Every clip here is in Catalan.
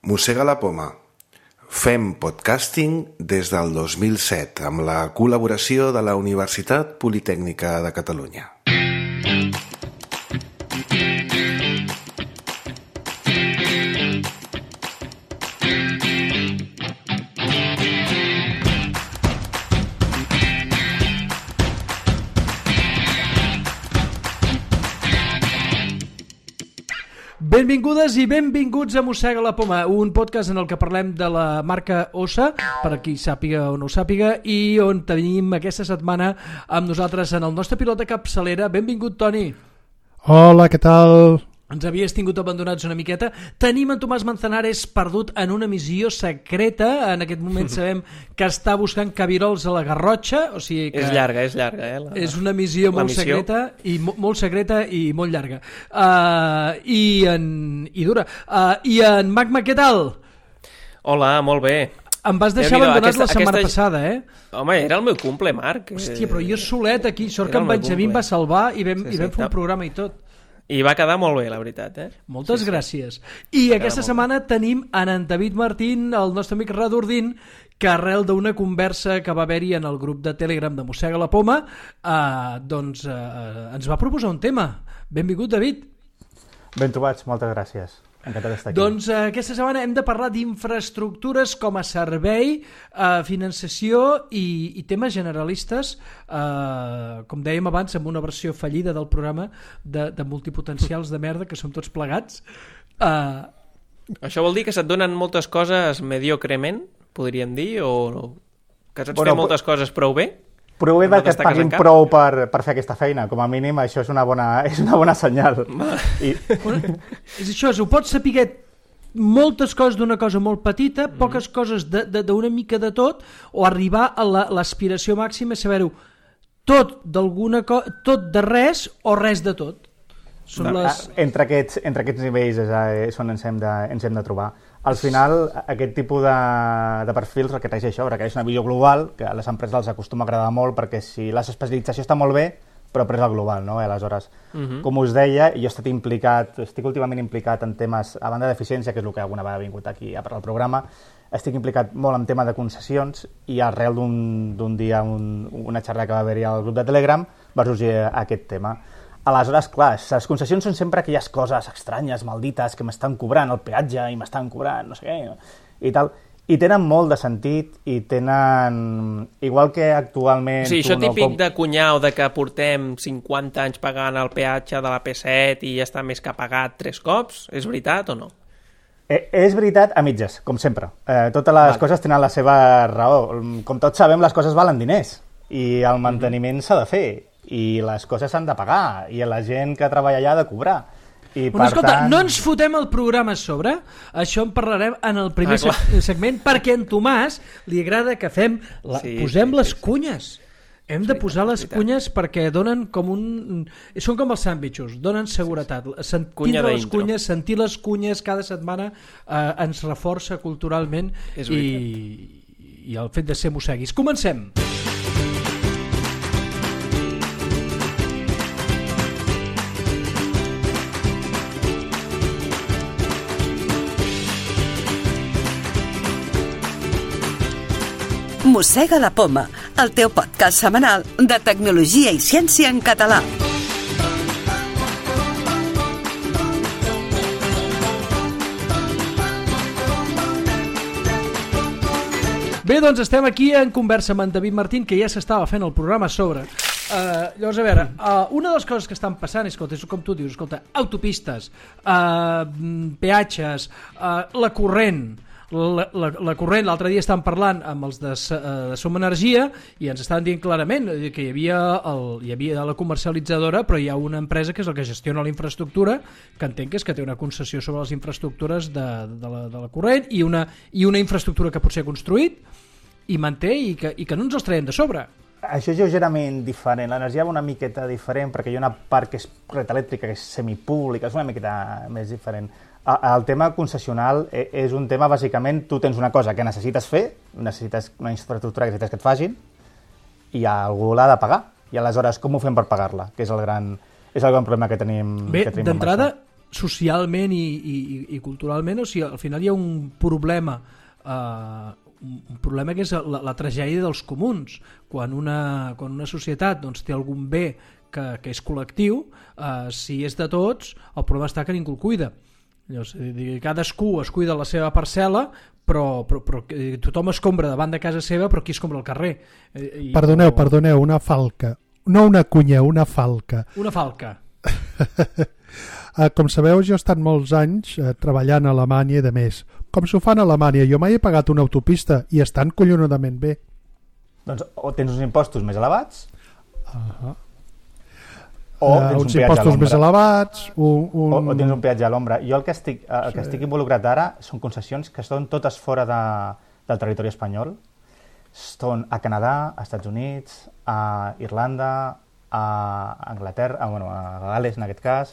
Mossega la poma. Fem podcasting des del 2007 amb la col·laboració de la Universitat Politècnica de Catalunya. Benvingudes i benvinguts a Mossega la poma, un podcast en el que parlem de la marca Ossa, per a qui sàpiga o no ho sàpiga, i on tenim aquesta setmana amb nosaltres en el nostre pilot de capçalera. Benvingut, Toni. Hola, què tal? Ens havies tingut abandonats una miqueta. Tenim en Tomàs Manzanares perdut en una missió secreta. En aquest moment sabem que està buscant cabirols a la Garrotxa. O sigui que és llarga. És una missió molt secreta i molt secreta i molt llarga. I dura. I en Magma, què tal? Hola, molt bé. Em vas deixar abandonat la setmana passada, eh? Home, era el meu cumple, Marc. Hòstia, però jo solet aquí, sort que en Benjamí em va salvar i vam fer un programa i tot. I va quedar molt bé, la veritat, eh? Moltes gràcies. I aquesta setmana tenim en David Martín, el nostre amic Radordín, que arrel d'una conversa que va haver-hi en el grup de Telegram de Mossega la poma, ens va proposar un tema. Benvingut, David. Ben trobats, moltes gràcies. Encantat d'estar aquí. Doncs aquesta setmana hem de parlar d'infraestructures com a servei, finançació i temes generalistes, com dèiem abans, amb una versió fallida del programa de multipotencials de merda, que som tots plegats. Això vol dir que se't donen moltes coses mediocrement, podríem dir, o que saps fer moltes coses prou bé? Prou bé que et paguin prou per fer aquesta feina. Com a mínim, això és una bona senyal. És això, ho pots saber moltes coses d'una cosa molt petita, poques coses d'una mica de tot, o arribar a l'aspiració màxima, saber-ho tot tot de res o res de tot. Entre aquests nivells és on ens hem de trobar. Al final, aquest tipus de perfils requereix això, requereix una visió global, que a les empreses els acostuma a agradar molt, perquè si l'especialització està molt bé, però és el global, no? Aleshores, com us deia, jo estic últimament implicat en temes, a banda d'eficiència, que és el que alguna vegada ha vingut aquí a parlar del programa, estic implicat molt en tema de concessions i arrel d'un dia, una xerrada que va haver-hi al grup de Telegram, va sorgir aquest tema. Aleshores, clar, les concessions són sempre aquelles coses estranyes, maldites, que m'estan cobrant el peatge i m'estan cobrant no sé què, i tal. I tenen molt de sentit i tenen... Igual que actualment... Sí, això típic de cunyau, de que portem 50 anys pagant el peatge de la P7 i ja està més que pagat 3 cops, és veritat o no? És veritat a mitges, com sempre. Totes les coses tenen la seva raó. Com tots sabem, les coses valen diners i el manteniment s'ha de fer. I les coses s'han de pagar, i la gent que treballa allà ha de cobrar. Escolta, no ens fotem el programa a sobre, això en parlarem en el primer segment, perquè a en Tomàs li agrada que posem les cunyes. Hem de posar les cunyes perquè donen com són com els sàndwichos, donen seguretat. Sentir les cunyes cada setmana ens reforça culturalment i el fet de ser mosseguis. Comencem! Mossega la poma, el teu podcast setmanal de tecnologia i ciència en català. Bé, doncs estem aquí en conversa amb en David Martín, que ja s'estava fent el programa a sobre. Llavors, a veure, una de les coses que estan passant és, com tu dius, autopistes, peatges, la corrent, l'altre dia estàvem parlant amb els de Som Energia i ens estaven dient clarament que hi havia la comercialitzadora, però hi ha una empresa que és la que gestiona la infraestructura, que entenc que és que té una concessió sobre les infraestructures de la corrent i una infraestructura que potser ha construït i manté i que no ens els traiem de sobre. Això és lleugerament diferent. L'energia va una miqueta diferent perquè hi ha una part que és red elèctrica, que és semipública, és una miqueta més diferent. El tema concessional és un tema, bàsicament, tu tens una cosa que necessites fer, necessites una infraestructura que necessites que et facin, i algú l'ha de pagar. I aleshores, com ho fem per pagar-la? Que és el gran problema que tenim. Bé, d'entrada, socialment i culturalment, o sigui, al final hi ha un problema que és la tragèdia dels comuns. Quan una societat doncs, té algun bé que és col·lectiu, si és de tots, el problema està que ningú el cuida. Cadascú es cuida la seva parcel·la, però tothom escombra davant de casa seva, però qui escombra al carrer? Perdoneu, una falca. No una cunya, una falca. Una falca. Com sabeu, jo he estat molts anys treballant a Alemanya i de més. Com s'ho fan a Alemanya? Jo mai he pagat una autopista i estan collonudament bé. Doncs o tens uns impostos més elevats, o uns impostos més elevats, o tens un peatge a l'ombra. Jo el que estic involucrat ara són concessions que són totes fora del territori espanyol. Són a Canadà, a Estats Units, a Irlanda, a Anglaterra, a Gales en aquest cas.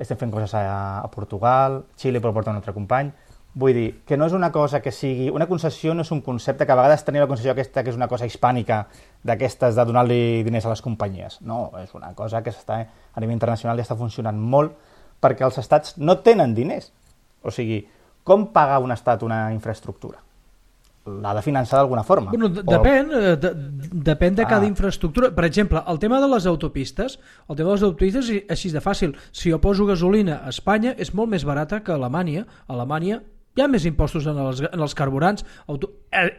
Estem fent coses a Portugal, Xile però porta un altre company. Vull dir, que no és una cosa que sigui... Una concessió no és un concepte que a vegades tenim la concessió aquesta que és una cosa hispànica d'aquestes de donar-li diners a les companyies. No, és una cosa que a nivell internacional ja està funcionant molt perquè els estats no tenen diners. O sigui, com paga un estat una infraestructura? L'ha de finançar d'alguna forma. Bueno, depèn de cada infraestructura. Per exemple, el tema de les autopistes és així de fàcil. Si jo poso gasolina a Espanya és molt més barata que a Alemanya. A Alemanya hi ha més impostos en els carburants.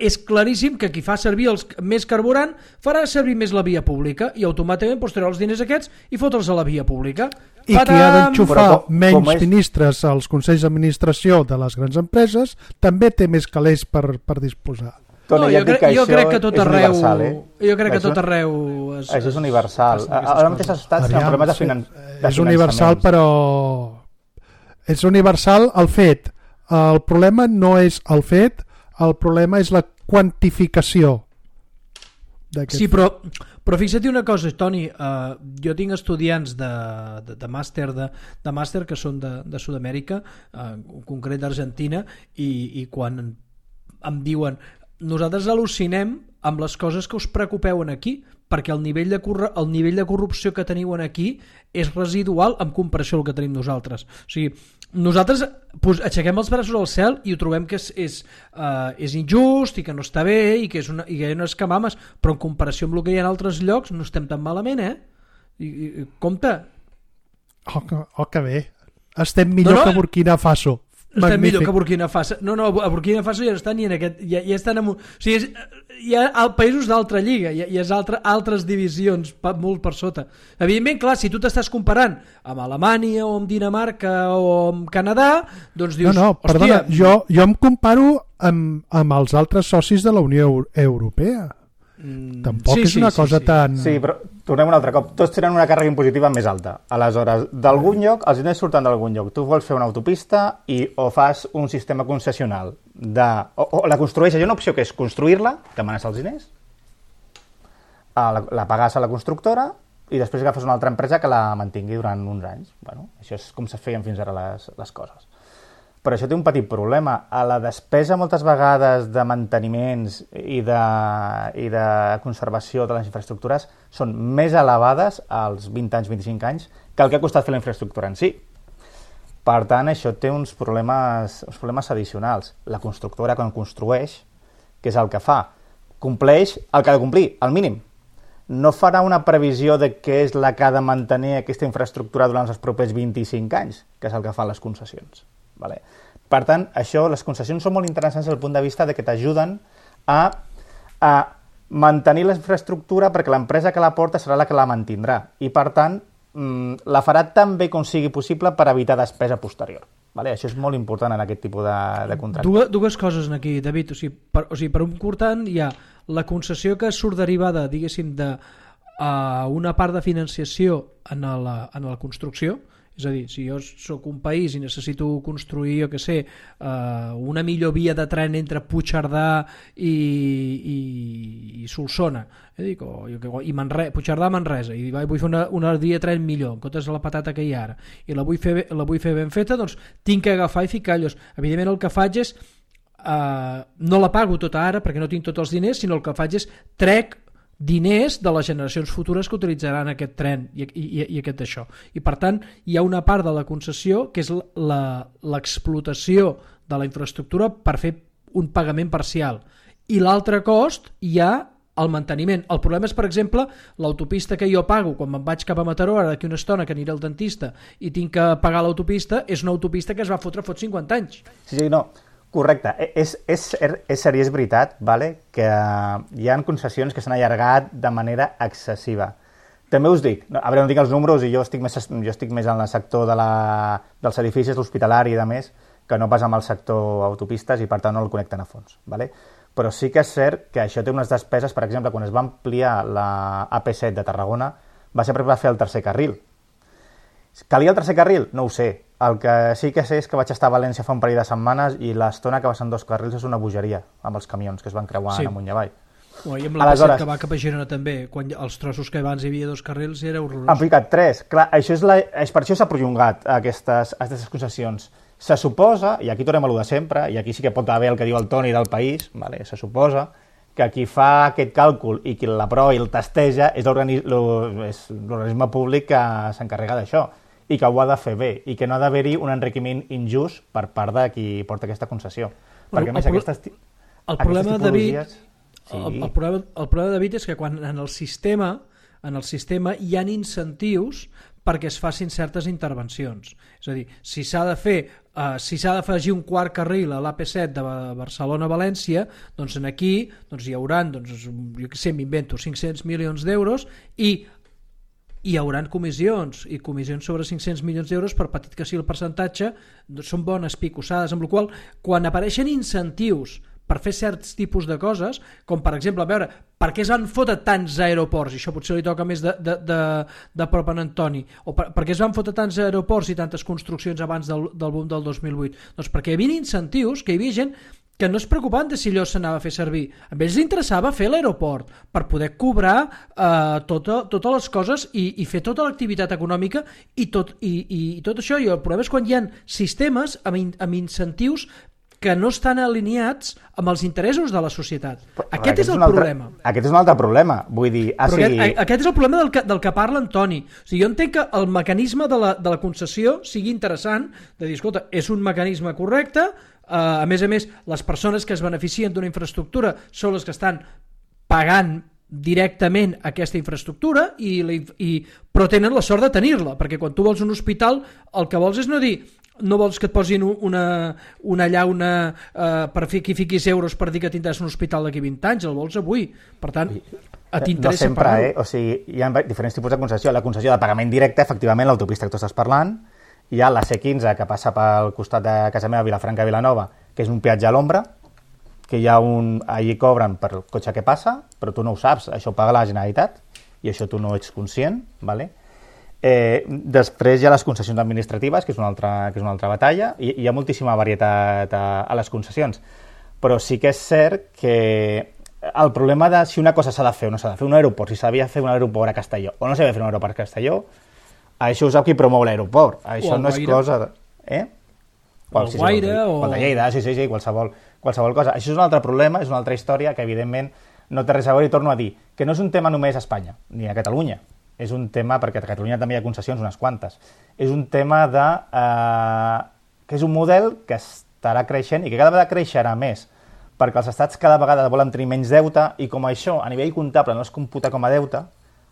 És claríssim que qui fa servir més carburant farà servir més la via pública i automàticament posarà els diners aquests i fotre'ls a la via pública. I qui ha d'enxufar menys ministres als consells d'administració de les grans empreses també té més calés per disposar. No, jo crec que tot arreu... Jo crec que tot arreu... Això és universal. Ara mateix els estats tenen problemes de finançament. És universal, però... És universal el fet. El problema no és el fet, el problema és la quantificació. Sí, però fixa't una cosa, Toni, jo tinc estudiants de màster que són de Sud-amèrica, en concret d'Argentina, i quan em diuen nosaltres al·lucinem amb les coses que us preocupeu aquí, perquè el nivell de corrupció que teniu aquí és residual en comparació al que tenim nosaltres. O sigui, nosaltres aixequem els braços al cel i ho trobem que és injust i que no està bé i que hi ha unes camames, però en comparació amb el que hi ha en altres llocs no estem tan malament, compte. Que bé. Estem millor que Burkina Faso. Estem millor que Burkina Faso. No, a Burkina Faso ja no estan ni en aquest... Ja estan o sigui, hi ha països d'altra lliga, hi ha altres divisions molt per sota. Evidentment, clar, si tu t'estàs comparant amb Alemanya o amb Dinamarca o amb Canadà, doncs dius... No, perdona, jo em comparo amb els altres socis de la Unió Europea. Tampoc és una cosa tan... Sí, però tornem un altre cop. Tots tenen una càrrega impositiva més alta. Aleshores, d'algun lloc, els diners surten d'algun lloc. Tu vols fer una autopista o fas un sistema concessional o la construeixes. Hi ha una opció que és construir-la, demanes els diners, la pagues a la constructora i després agafes una altra empresa que la mantingui durant uns anys. Bueno, això és com se feien fins ara les coses. Però això té un petit problema. A la despesa moltes vegades de manteniments i de conservació de les infraestructures són més elevades als 20 anys, 25 anys que el que ha costat fer la infraestructura en si. Per tant, això té uns problemes addicionals. La constructora, quan construeix, què és el que fa? Compleix el que ha de complir, el mínim. No farà una previsió de què és la que ha de mantenir aquesta infraestructura durant els propers 25 anys, que és el que fan les concessions. Vale. Per tant, les concessions són molt interessants des del punt de vista de que t'ajuden a mantenir la infraestructura perquè l'empresa que la porta serà la que la mantindrà i per tant la farà tan bé com sigui possible per evitar despesa posterior. Vale? Això és molt important en aquest tipus de contracte. Dues coses aquí, David. O sigui, per un costat hi ha la concessió que surt derivada, diguéssim, d'una part de financiació en la construcció. És a dir, si jo sóc un país i necessito construir, jo què sé, una millor via de tren entre Puigcerdà i Solsona, i Puigcerdà-Manresa, i vull fer una via de tren millor, en comptes de la patata que hi ha ara, i la vull fer ben feta, doncs tinc que agafar i ficar allò. Evidentment el que faig és, no la pago tota ara perquè no tinc tots els diners, sinó el que faig és trec diners de les generacions futures que utilitzaran aquest tren i aquest això. I per tant hi ha una part de la concessió que és l'explotació de la infraestructura per fer un pagament parcial, i l'altre cost hi ha el manteniment. El problema és, per exemple, l'autopista que jo pago quan me'n vaig cap a Mataró, ara d'aquí una estona que aniré al dentista i tinc que pagar l'autopista, és una autopista que es va fotre fot 50 anys. Sí, no, correcte. És cert i és veritat, vale, que hi ha concessions que s'han allargat de manera excessiva. També us dic, a veure, no dic els números, i jo estic més en el sector dels edificis, l'hospitalari i de més, que no pas amb el sector autopistes, i per tant no el connecten a fons. Vale? Però sí que és cert que això té unes despeses. Per exemple, quan es va ampliar la AP7 de Tarragona, va ser perquè va fer el tercer carril. Calia el tercer carril? No ho sé. El que sí que sé és que vaig estar a València fa un parell de setmanes i l'estona que va ser en 2 carrils és una bogeria, amb els camions que es van creuar amunt i avall. I amb la P7 que va cap a Girona també, quan els trossos que abans hi havia 2 carrils era horrorós. Han ficat 3. Clar, per això s'ha prolongat aquestes concessions. Se suposa, i aquí tornem a lo de sempre, i aquí sí que pot haver el que diu el Toni del País, vale? Se suposa que qui fa aquest càlcul i qui l'aprova i el testeja és l'organisme públic que s'encarrega d'això i que ho ha de fer bé i que no ha d'haver-hi un enriquiment injust per part de qui porta aquesta concessió. Perquè a més el problema, David, el problema, David, és que quan en el sistema hi ha incentius perquè es facin certes intervencions. És a dir, si s'ha d'afegir un quart carril a l'AP7 de Barcelona a València, doncs aquí hi haurà, jo què sé, m'invento, 500 milions d'euros i hi haurà comissions, i comissions sobre 500 milions d'euros, per petit que sigui el percentatge, són bones picossades, amb la qual cosa, quan apareixen incentius per fer certs tipus de coses, com per exemple, a veure, per què es van fotre tants aeroports, i això potser li toca més de prop a en Antoni, o per què es van fotre tants aeroports i tantes construccions abans del boom del 2008? Doncs perquè hi havia incentius, que hi havia gent que no es preocupaven de si allò s'anava a fer servir. A ells li interessava fer l'aeroport per poder cobrar totes les coses i fer tota l'activitat econòmica i tot això. I el problema és quan hi ha sistemes amb incentius que no estan alineats amb els interessos de la societat. Aquest és el problema. Aquest és un altre problema. Vull dir, aquest és el problema del que parla Antoni. O sigui, jo entenc que el mecanisme de la concessió sigui interessant, de dir, escolta, és un mecanisme correcte, a més, les persones que es beneficien d'una infraestructura són les que estan pagant directament aquesta infraestructura, però tenen la sort de tenir-la, perquè quan tu vols un hospital el que vols és no vols que et posin una llauna per que fiquis euros per dir que tindràs un hospital d'aquí 20 anys, el vols avui. Per tant, t'interessa pagar-ho. O sigui, hi ha diferents tipus de concessió. La concessió de pagament directe, efectivament, l'autopista que tu estàs parlant. Hi ha la C15, que passa pel costat de casa meva, Vilafranca de Vilanova, que és un peatge a l'ombra, que allí cobren per el cotxe que passa, però tu no ho saps, això ho paga la Generalitat, i això tu no ets conscient, ¿vale? Després hi ha les concessions administratives, que és una altra batalla, i hi ha moltíssima varietat a les concessions, però sí que és cert que el problema de si una cosa s'ha de fer o no s'ha de fer, un aeroport, si s'havia de fer un aeroport a Castelló o no s'havia de fer un aeroport a Castelló, això ho sap qui promou l'aeroport, això no és cosa el Guaire o el de Lleida, sí, qualsevol cosa. Això és un altre problema, és una altra història que evidentment no té res a veure, i torno a dir que no és un tema només a Espanya ni a Catalunya. És un tema, perquè a Catalunya també hi ha concessions, unes quantes. És un tema que és un model que estarà creixent i que cada vegada creixerà més, perquè els estats cada vegada volen tenir menys deute i com això a nivell comptable no es computa com a deute,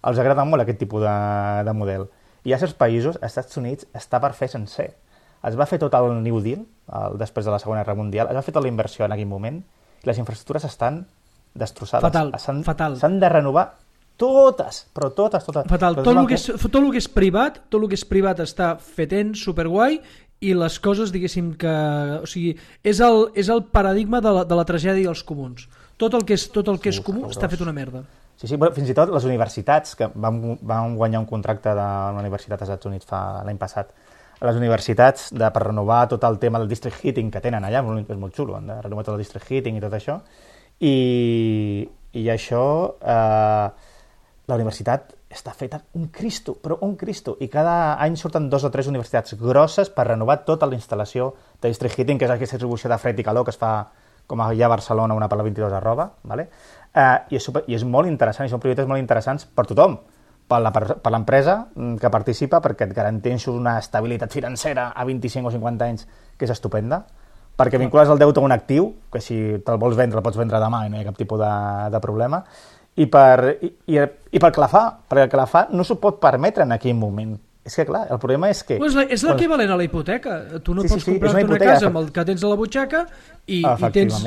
els agrada molt aquest tipus de model. I a certs països, als Estats Units, està per fer sencer. Es va fer tot el New Deal, després de la Segona Guerra Mundial, es va fer tota la inversió en aquell moment i les infraestructures estan destrossades. Fatal. S'han de renovar totes, però totes. Fatal. Tot el que és privat està fetent superguai i les coses, diguéssim, que... O sigui, és el paradigma de la tragèdia dels comuns. Tot el que és comú està fet una merda. Sí, fins i tot les universitats, que vam guanyar un contracte de la Universitat dels Estats Units l'any passat, les universitats per renovar tot el tema del district heating que tenen allà, és molt xulo, han de renovar tot el district heating i tot això, i això... La universitat està feta un Cristo, però un Cristo, i cada any surten 2 o 3 universitats grosses per renovar tota la instal·lació de district heating, que és aquesta distribució de fred i calor que es fa com hi ha a Barcelona una per la 22 @, i és molt interessant, i són projectes molt interessants per tothom, per l'empresa que participa, perquè et garanteix una estabilitat financera a 25 o 50 anys que és estupenda, perquè vincules el deute a un actiu, que si te'l vols vendre, el pots vendre demà i no hi ha cap tipus de problema, i per que la fa, perquè el que la fa no s'ho pot permetre en aquell moment. És que, clar, el problema és que... És l'equivalent a la hipoteca. Tu no pots comprar-te una casa amb el que tens a la butxaca i tens...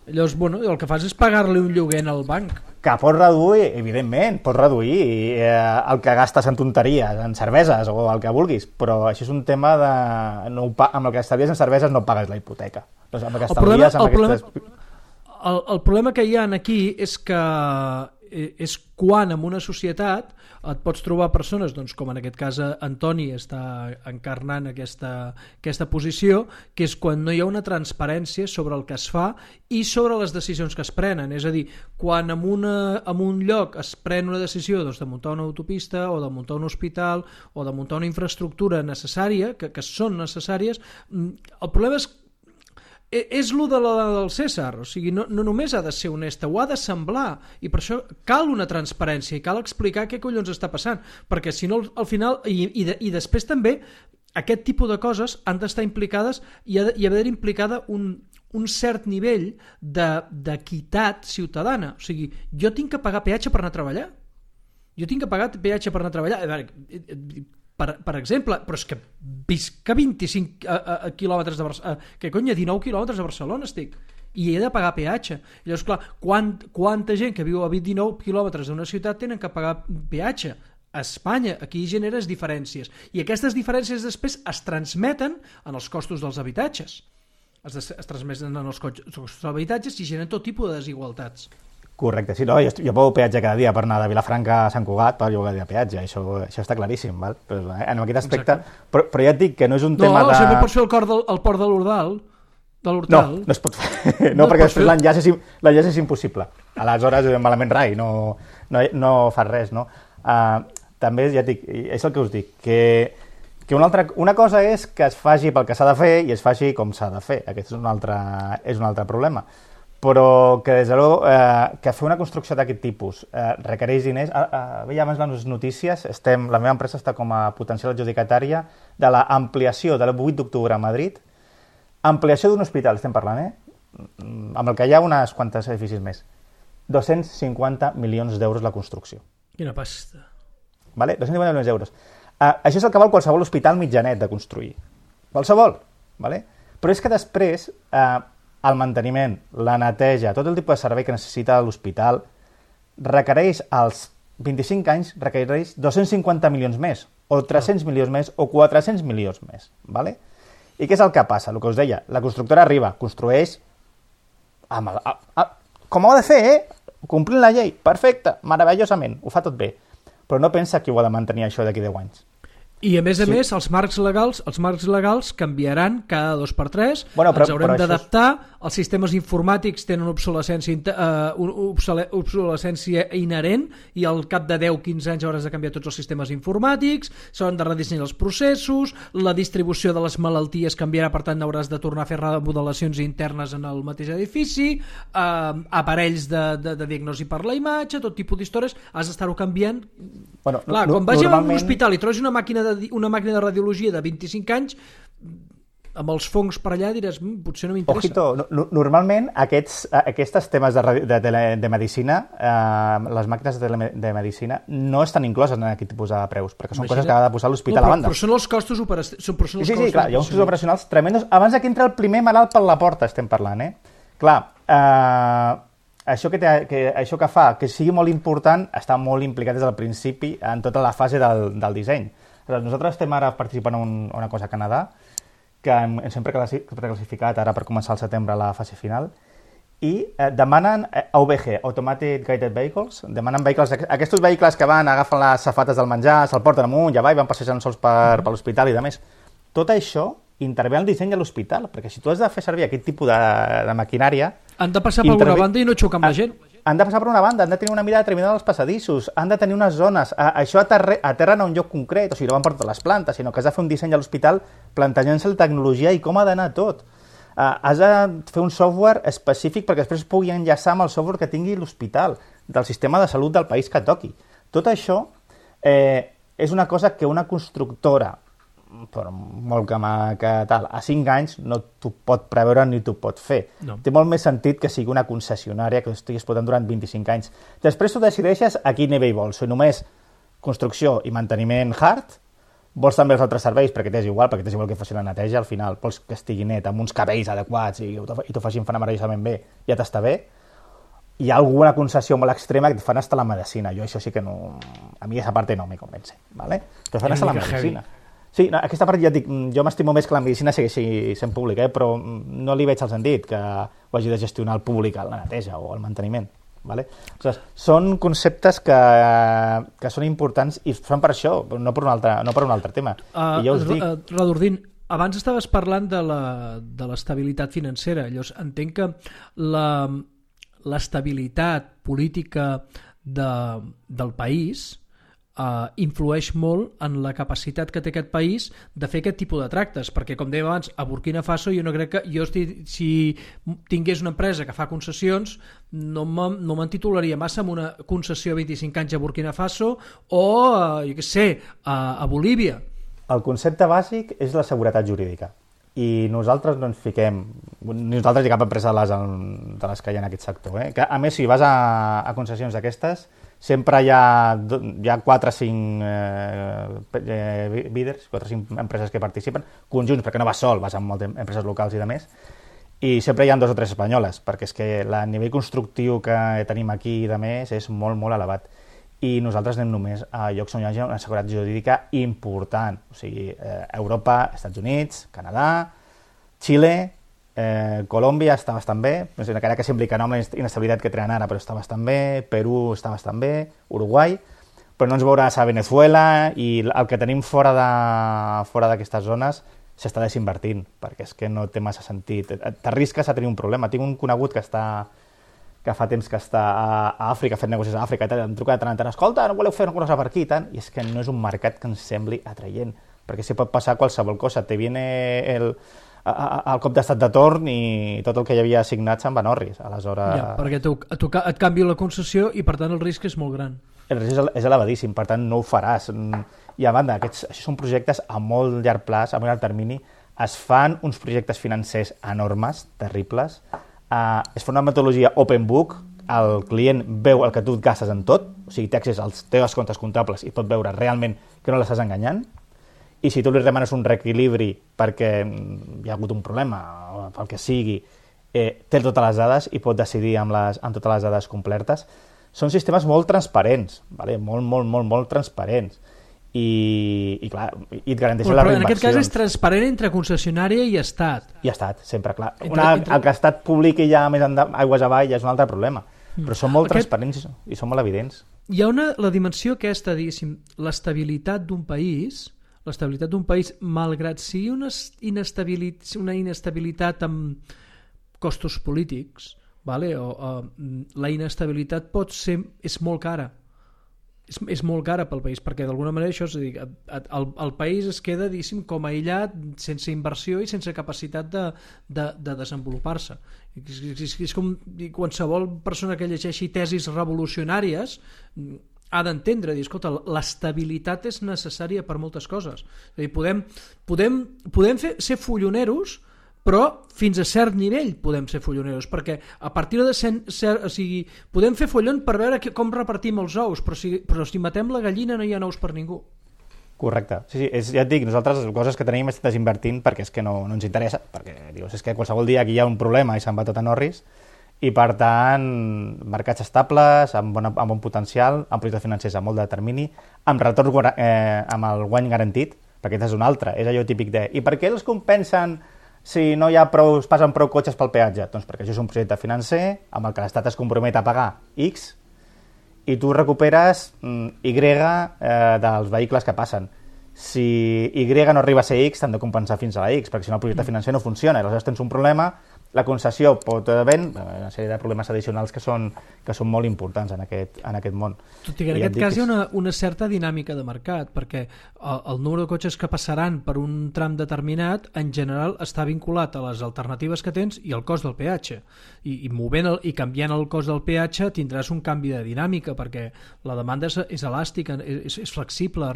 Llavors, el que fas és pagar-li un lloguer al banc. Que pots reduir, evidentment, pots reduir el que gastes en tonteries, en cerveses o el que vulguis, però això és un tema de... amb el que estalvies en cerveses no pagues la hipoteca. Doncs amb el que estalvies... El problema que hi ha aquí és que és quan en una societat et pots trobar persones, doncs, com en aquest cas Antoni està encarnant aquesta posició, que és quan no hi ha una transparència sobre el que es fa i sobre les decisions que es prenen. És a dir, quan en un lloc es pren una decisió de muntar una autopista o de muntar un hospital o de muntar una infraestructura necessària, que són necessàries, el problema és el del César, o sigui, no només ha de ser honesta, ho ha de semblar, i per això cal una transparència i cal explicar què collons està passant, perquè si no al final, i després també aquest tipus de coses han d'estar implicades i ha d'haver implicada un cert nivell d'equitat ciutadana. O sigui, jo tinc que pagar peatge per anar a treballar, per exemple, però és que visc a 25 quilòmetres de Barcelona, que cony, a 19 quilòmetres de Barcelona estic, i he de pagar peatge. I llavors, clar, quanta gent que viu a 19 quilòmetres d'una ciutat tenen que pagar peatge? A Espanya, aquí generes diferències, i aquestes diferències després es transmeten en els costos dels habitatges. Es transmeten en els costos dels habitatges i generen tot tipus de desigualtats. Correcte, sí, no, jo pago peatge cada dia per anar de Vilafranca a Sant Cugat per llogar de peatge, això està claríssim, val? Però en aquest aspecte, però ja et dic que no és un tema de... No, sempre pots fer el port de l'Hortal. No es pot fer, no, perquè després l'enllaç és impossible, aleshores malament rai, no fas res, no? També ja et dic, és el que us dic, que una cosa és que es faci pel que s'ha de fer i es faci com s'ha de fer, aquest és un altre problema. Però que des de l'ho que fer una construcció d'aquest tipus requereix diners. Veia abans les notícies, la meva empresa està com a potencial adjudicatària de l'ampliació de l'8 d'octubre a Madrid, ampliació d'un hospital, estem parlant, amb el que hi ha unes quantes edificis més. 250 milions d'euros la construcció. Quina pasta. Vale? 250 milions d'euros. Això és el que val qualsevol hospital mitjanet de construir. Qualsevol. Vale? Però és que després... el manteniment, la neteja, tot el tipus de servei que necessita l'hospital requereix, als 25 anys, requereix 250 milions més, o 300 milions més, o 400 milions més. ¿Vale? I què és el que passa? El que us deia, la constructora arriba, construeix com ho ha de fer, complint la llei, perfecte, meravellosament, ho fa tot bé, però no pensa que ho ha de mantenir això d'aquí 10 anys. I a més, els marcs legals canviaran cada 2 per 3, ens haurem d'adaptar, els sistemes informàtics tenen obsolescència inherent i al cap de 10-15 anys hauràs de canviar tots els sistemes informàtics, s'hauran de redissenyar els processos, la distribució de les malalties canviarà, per tant hauràs de tornar a fer remodelacions internes en el mateix edifici, aparells de diagnosi per la imatge, tot tipus d'històries, has d'estar-ho canviant. Clar, quan vagi a un hospital i trobis una màquina de radiologia de 25 anys, amb els fongs per allà diràs, potser no m'interessa. Ojito, normalment aquests temes de medicina, les màquines de medicina no estan incloses en aquest tipus de preus, perquè són coses que ha de posar l'hospital a banda. Però són els costos operacionals. Sí, clar, hi ha uns costos operacionals tremendos. Abans que entra el primer malalt per la porta estem parlant, Clar, això que fa que sigui molt important està molt implicat des del principi en tota la fase del disseny. Nosaltres estem ara participant en una cosa a Canadà que ens hem preclassificat ara per començar al setembre la fase final i demanen AVG, Automatic Guided Vehicles, demanen vehicles, aquests vehicles que van, agafen les safates del menjar, se'l porten amunt i avall, van passejant sols per l'hospital i demés. Tot això intervé en el disseny de l'hospital, perquè si tu has de fer servir aquest tipus de maquinària... Han de passar per alguna banda i no xocar amb la gent. Han de passar per una banda, han de tenir una mirada determinada als passadissos, han de tenir unes zones, això aterren a un lloc concret, o sigui, no van per totes les plantes, sinó que has de fer un disseny a l'hospital plantejant-se la tecnologia i com ha d'anar tot. Has de fer un software específic perquè després pugui enllaçar amb el software que tingui l'hospital, del sistema de salut del país que toqui. Tot això és una cosa que una constructora, per molt que tal, a 5 anys no t'ho pot preveure ni t'ho pot fer. No. Té molt més sentit que sigui una concessionària que estiguis explotant durant 25 anys. Després tu decideixes a quin nivell vols. Si només construcció i manteniment hard, vols també els altres serveis, perquè t'és igual que faci la neteja, al final vols que estigui net, amb uns cabells adequats i t'ho facin meravellosament bé, ja t'està bé. Hi ha alguna concessió molt extrema que et fan hasta la medicina. Jo això sí que no... A mi aquesta part no me convence, ¿vale? Te fan hasta la medicina. Sí, no, aquesta part ja dic, jo m'estimo més que la medicina segueixi sent pública, però no li veig el sentit que ho hagi de gestionar el públic, la neteja o el manteniment. Vale? O sigui, són conceptes que són importants i són per això, no per un altre tema. I ja us dic... Radordín, abans estaves parlant de l'estabilitat financera. Llavors, entenc que l'estabilitat política del país influeix molt en la capacitat que té aquest país de fer aquest tipus de tractes, perquè com dèiem abans, a Burkina Faso jo no crec que si tingués una empresa que fa concessions no me'n titularia massa amb una concessió a 25 anys a Burkina Faso o jo què sé, a Bolívia. El concepte bàsic és la seguretat jurídica i nosaltres no ens fiquem, nosaltres hi ha cap empresa de les que hi ha en aquest sector, que a més si vas a concessions d'aquestes sempre hi ha 4 o 5 bidders, 4 o 5 empreses que participen, conjunts, perquè no vas sol, vas amb moltes empreses locals i de més, i sempre hi ha 2 o 3 espanyoles, perquè és que el nivell constructiu que tenim aquí i de més és molt, molt elevat. I nosaltres anem només a llocs on hi hagi una seguretat jurídica important, o sigui, Europa, Estats Units, Canadà, Xile, Colòmbia està bastant bé, encara que sembli que no amb la inestabilitat que tenen ara, però està bastant bé, Perú està bastant bé, Uruguai, però no ens veuràs a Venezuela i el que tenim fora d'aquestes zones s'està desinvertint, perquè és que no té massa sentit. T'arrisques a tenir un problema. Tinc un conegut que fa temps que està a Àfrica, fent negocis a Àfrica, i em truca de tant en tant, escolta, no voleu fer una cosa per aquí, i és que no és un mercat que ens sembli atraient, perquè s'hi pot passar qualsevol cosa. Te viene el cop d'estat de torn i tot el que hi havia assignat se'n van orris. Aleshores... Ja, perquè et canvia la concessió i per tant el risc és molt gran. El risc és elevadíssim, per tant no ho faràs. I a banda, això són projectes a molt llarg plaç, a molt llarg termini, es fan uns projectes financers enormes, terribles, es fa una metodologia open book, el client veu el que tu et gastes en tot, o sigui, té accés als teus comptes comptables i pot veure realment que no l'estàs enganyant, i si tu li demanes un reequilibri perquè hi ha hagut un problema o pel que sigui, té totes les dades i pot decidir amb totes les dades completes. Són sistemes molt transparents, vale? molt transparents. I clar, i et garanteixen les reinversions. En aquest cas és transparent entre concessionària i Estat. I Estat, sempre, clar. El que Estat publiqui ja més aigües avall ja és un altre problema. Però són molt transparents i són molt evidents. Hi ha la dimensió aquesta, diguéssim, l'estabilitat d'un país, malgrat sigui una inestabilitat amb costos polítics, vale? La inestabilitat és molt cara. És molt cara pel país, perquè d'alguna manera això és a dir, el país es queda, diguéssim, com aïllat, sense inversió i sense capacitat de desenvolupar-se. És com qualsevol persona que llegeixi tesis revolucionàries ha d'entendre, dir, escolta, l'estabilitat és necessària per moltes coses. És a dir, podem ser folloneros, però fins a cert nivell podem ser folloneros, perquè a partir de o sigui, podem fer follon per veure com repartim els ous, però si matem la gallina no hi ha ous per ningú. Correcte. Sí, ja et dic, nosaltres les coses que tenim estem desinvertint perquè és que no ens interessa, perquè dius, és que qualsevol dia aquí hi ha un problema i se'n va tot a Norris, i per tant, mercats estables, amb bon potencial, amb projectes financers a molt de termini, amb retorn, amb el guany garantit, perquè aquest és un altre, és allò típic de i per què els compensen si no hi ha passen prou cotxes pel peatge? Doncs perquè això és un projecte financer amb el que l'Estat es compromet a pagar X i tu recuperes Y dels vehicles que passen. Si Y no arriba a ser X, t'han de compensar fins a la X, perquè si no el projecte financer no funciona. Aleshores tens un problema La concessió pot haver una sèrie de problemes addicionals que són molt importants en aquest món. Tot i que en aquest cas hi ha una certa dinàmica de mercat, perquè el número de cotxes que passaran per un tram determinat en general està vinculat a les alternatives que tens i al cost del peatge. I canviant el cost del peatge tindràs un canvi de dinàmica, perquè la demanda és elàstica, és flexible,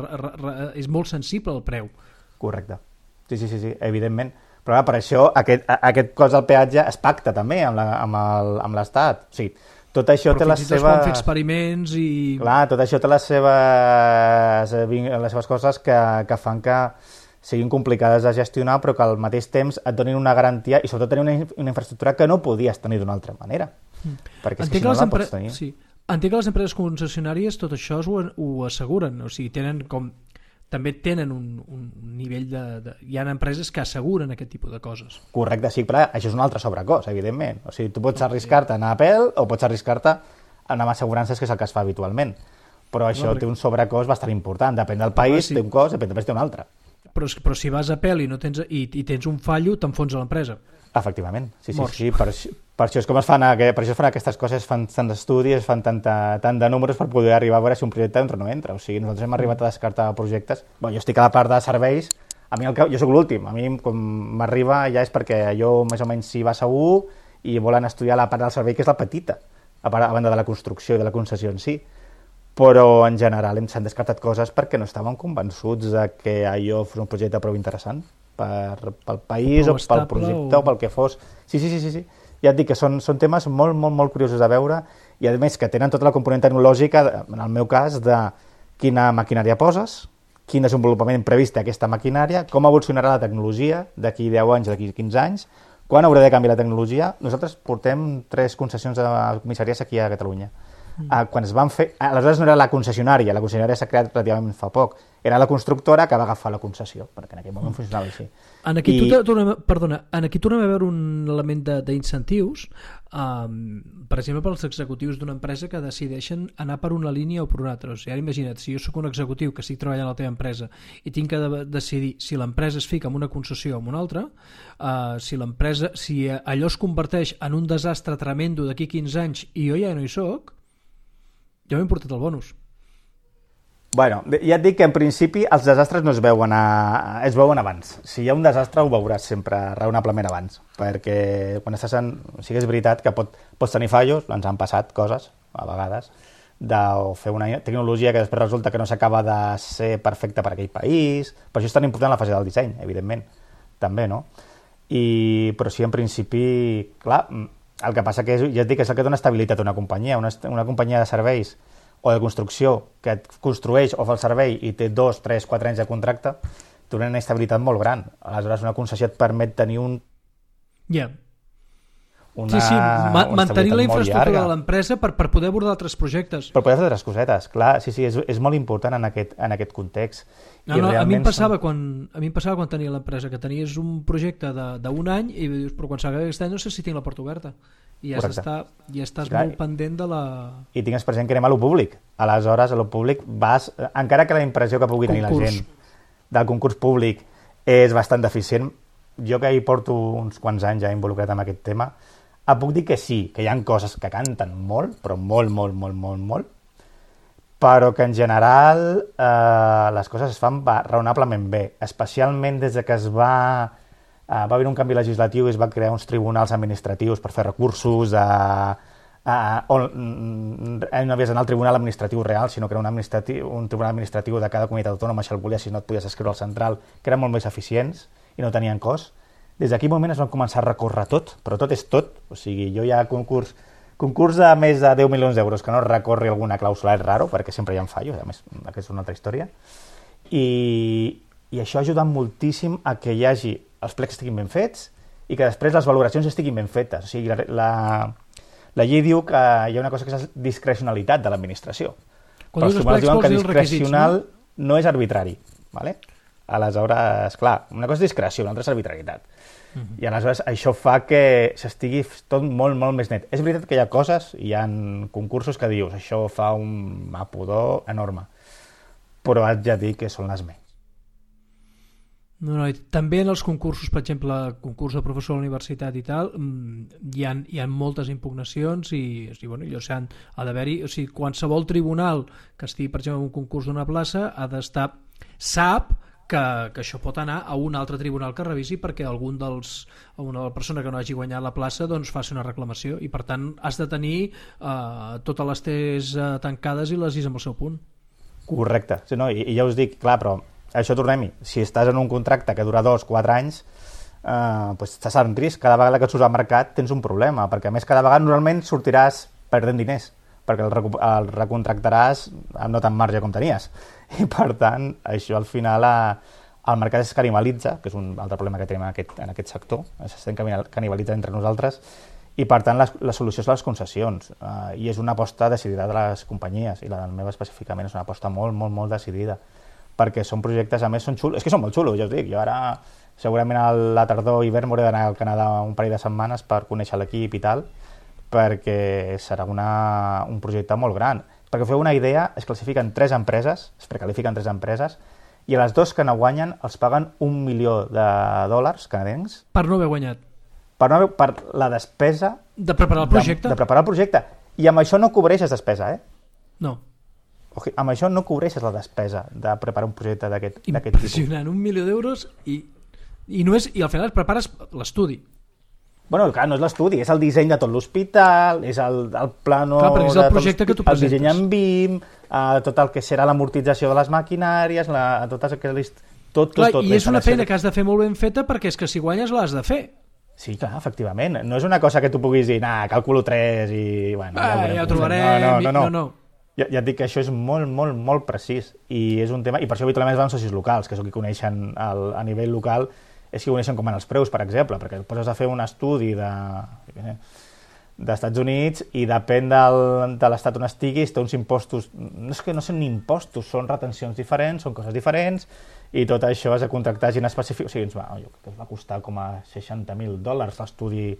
és molt sensible al preu. Correcte. Sí, evidentment. Però per això aquest cost del peatge es pacta també amb l'Estat. O sigui, tot això té les seves... Però fins i tot es poden fer experiments i... Clar, tot això té les seves coses que fan que siguin complicades de gestionar, però que al mateix temps et donin una garantia i sobretot tenir una infraestructura que no podies tenir d'una altra manera. Perquè si no la pots tenir... Sí. Entenc que les empreses concessionàries tot això ho asseguren, o sigui, també tenen un nivell de... Hi ha empreses que asseguren aquest tipus de coses. Correcte, sí, però això és un altre sobrecost, evidentment. O sigui, tu pots arriscar-te a anar a pèl o pots arriscar-te a anar amb assegurances, que és el que es fa habitualment. Però això té un sobrecost bastant important. Depèn del país, té un cost, depèn del país, té un altre. Però si vas a pèl i tens un fallo, t'enfonsa l'empresa. Efectivament, sí. Per això és com es fan aquestes coses, fan tants estudis, fan tant de números per poder arribar a veure si un projecte entra o no entra. O sigui, nosaltres hem arribat a descartar projectes. Jo estic a la part de serveis, jo soc l'últim, a mi com m'arriba ja és perquè allò més o menys s'hi va segur i volen estudiar la part del servei, que és la petita, a banda de la construcció i de la concessió en si. Però en general s'han descartat coses perquè no estàvem convençuts de que allò fos un projecte prou interessant pel país o pel projecte o pel que fos. Sí. Ja et dic que són temes molt, molt, molt curiosos de veure i a més que tenen tota la component tecnològica, en el meu cas, de quina maquinària poses, quin desenvolupament previst té aquesta maquinària, com evolucionarà la tecnologia d'aquí 10 anys, d'aquí 15 anys, quan haurà de canviar la tecnologia. Nosaltres portem 3 concessions de comissaries aquí a Catalunya. Quan es van fer... Aleshores no era la concessionària s'ha creat relativament fa poc, era la constructora que va agafar la concessió, perquè en aquell moment funcionava així. Aquí tornem a veure un element d'incentius, per exemple, pels executius d'una empresa que decideixen anar per una línia o per una altra. O sigui, ara imagina't, si jo sóc un executiu que estic treballant a la teva empresa i tinc que decidir si l'empresa es fica en una concessió o en una altra, si allò es converteix en un desastre tremendo d'aquí 15 anys i jo ja no hi soc, ja m'he portat el bonus. Bueno, ja et dic que en principi els desastres no es veuen abans. Si hi ha un desastre ho veuràs sempre raonablement abans, perquè quan estàs O sigui, és veritat que pots tenir fallos, ens han passat coses, a vegades, de fer una tecnologia que després resulta que no s'acaba de ser perfecta per aquell país. Per això és tan important la fase del disseny, evidentment, també, no? Però sí, en principi, clar, el que passa que ja et dic que és el que dona estabilitat a una companyia. Una companyia de serveis o de construcció que et construeix o fa el servei i té 2, 3, 4 anys de contracte, té una inestabilitat molt gran. Aleshores, una concessió et permet tenir mantenir la infraestructura de l'empresa per poder abordar altres projectes. Per poder fer altres cosetes, clar, sí, és molt important en aquest context. A mi em passava quan tenia l'empresa, que tenies un projecte d'un any i dius, però quan s'acaba aquest any no sé si tinc la porta oberta. I ja estàs molt pendent de la... I tingues present que anem a lo públic. Aleshores, a lo públic vas... Encara que la impressió que pugui tenir la gent del concurs públic és bastant deficient, jo que hi porto uns quants anys ja involucrat en aquest tema, puc dir que sí, que hi ha coses que canten molt, però molt, però que en general les coses es fan raonablement bé, especialment des que va haver un canvi legislatiu i es va crear uns tribunals administratius per fer recursos on no havies d'anar al tribunal administratiu real, sinó que era un tribunal administratiu de cada comunitat autònoma, si el volies, si no et podies escriure al central, que eren molt més eficients i no tenien cost. Des d'aquell moment es van començar a recórrer tot, però tot és tot. O sigui, jo ja concurs de més de 10 milions d'euros que no recorri alguna clàusula és raro, perquè sempre hi ha fallos, a més, aquesta és una altra història. I això ha ajudat moltíssim a que hi hagi els plecs estiguin ben fets i que després les valoracions estiguin ben fetes. O sigui, la llei diu que hi ha una cosa que és la discrecionalitat de l'administració. Quan dius els plecs vols dir els requisits, no és arbitrari, ¿vale? Aleshores, clar, una cosa és discreció, una altra és arbitrarietat. I aleshores això fa que s'estigui tot molt, molt més net. És veritat que hi ha coses, hi ha concursos que dius, això fa un pudor enorme, però haig de dir que són les menys. No, també en els concursos, per exemple, concurs de professor a la universitat i tal, hi ha moltes impugnacions i bueno, ha d'haver-hi, o sigui, qualsevol tribunal que estigui, per exemple, en un concurs d'una plaça sap que això pot anar a un altre tribunal que revisi perquè una persona que no hagi guanyat la plaça doncs faci una reclamació i per tant has de tenir totes les T's tancades i les I's amb el seu punt. Correcte, sí, no? I ja us dic, clar, però això tornem-hi, si estàs en un contracte que dura 2-4 anys doncs estàs en risc, cada vegada que surts al mercat tens un problema, perquè a més cada vegada normalment sortiràs perdent diners perquè el recontractaràs amb no tant marge com tenies. I per tant, això al final el mercat es canibalitza, que és un altre problema que tenim en aquest sector, s'estem canibalitzant entre nosaltres, i per tant la solució és les concessions, i és una aposta decidida de les companyies, i la del meu específicament és una aposta molt, molt, molt decidida, perquè són projectes, a més, són xulos, és que són molt xulos, ja us dic, jo ara segurament a la tardor i hivern m'hauré d'anar al Canadà un parell de setmanes per conèixer l'equip i tal, perquè serà un projecte molt gran. Perquè feu una idea, es classifiquen 3 empreses, es precalifiquen 3 empreses, i a les 2 que no guanyen els paguen $1 milió canadencs. Per no haver guanyat. Per la despesa... De preparar el projecte. De preparar el projecte. I amb això no cobreixes despesa, No. Amb això no cobreixes la despesa de preparar un projecte d'aquest tipus. Impressionant, $1 milió i al final prepares l'estudi. Bueno, clar, no és l'estudi, és el disseny de tot l'hospital, és el plano... Clar, perquè és el projecte que tu presentes. El disseny en BIM, tot el que serà l'amortització de les maquinàries, totes aquelles... Tot. I és una feina que has de fer molt ben feta perquè és que si guanyes l'has de fer. Sí, clar, efectivament. No és una cosa que tu puguis dir, calculo 3 i... Bueno, ja ho trobarem... No. Ja et dic que això és molt, molt, molt precís i és un tema... I per això habitualment es van socis locals, que són qui coneixen a nivell local, és que coneixen com van els preus, per exemple, perquè et poses a fer un estudi d'Estats Units i depèn de l'estat on estiguis, té uns impostos... No és que no són ni impostos, són retencions diferents, són coses diferents, i tot això has de contractar gent específica. O sigui, ens va costar com a $60,000 l'estudi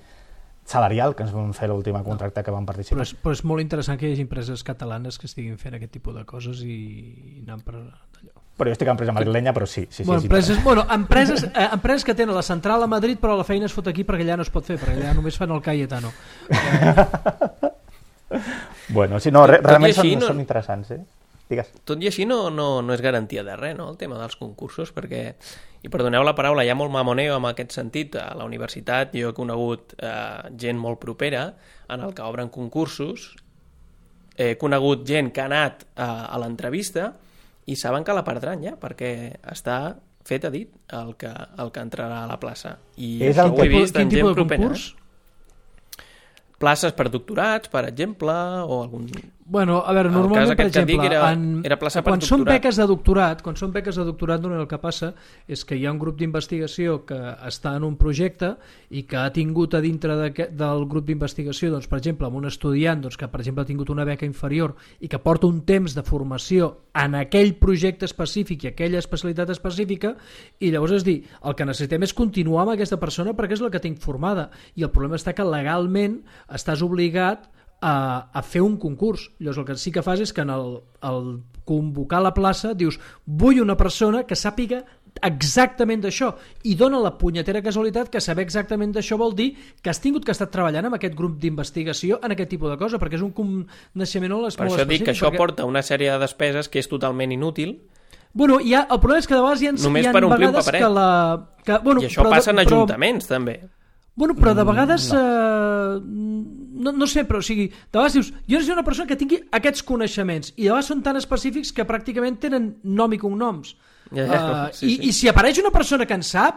salarial que ens vam fer l'última contracte que vam participar. Però és molt interessant que hi hagi empreses catalanes que estiguin fent aquest tipus de coses i anant per allò. Però jo estic a empresa madrilenya, però sí. Empreses que tenen la central a Madrid, però la feina es fot aquí perquè allà no es pot fer, perquè allà només fan el Cayetano. Bueno, sí, no, realment són interessants, Digues. Tot i així no és garantia de res, no?, el tema dels concursos, perquè, i perdoneu la paraula, hi ha molt mamoneo en aquest sentit. A la universitat jo he conegut gent molt propera en el que obren concursos, he conegut gent que ha anat a l'entrevista i saben que la perdran ja, perquè està fet a dit el que entrarà a la plaça. I això ho he vist en gent propera. Places per doctorats, per exemple, o algun... Bueno, a veure, normalment, per exemple, era plaça per quan són beques de doctorat, normalment el que passa és que hi ha un grup d'investigació que està en un projecte i que ha tingut a dintre del grup d'investigació, doncs, per exemple, amb un estudiant que, per exemple, ha tingut una beca inferior i que porta un temps de formació en aquell projecte específic i aquella especialitat específica, i llavors és dir, el que necessitem és continuar amb aquesta persona perquè és la que tinc formada, i el problema està que legalment estàs obligat a fer un concurs. Llavors el que sí que fas és que en el convocar la plaça dius, vull una persona que sàpiga exactament d'això, i dona la punyetera casualitat que saber exactament d'això vol dir que has tingut que estar treballant amb aquest grup d'investigació en aquest tipus de cosa, perquè és un coneixement molt específic. Per això dic que això porta una sèrie de despeses que és totalment inútil. Bueno, el problema és que de vegades hi ha només per omplir un paperet. I això passa en ajuntaments també. Bueno, però de vegades no sé, però o sigui, de vegades dius, jo necessito una persona que tingui aquests coneixements, i de vegades són tan específics que pràcticament tenen nom i cognoms. I si apareix una persona que en sap,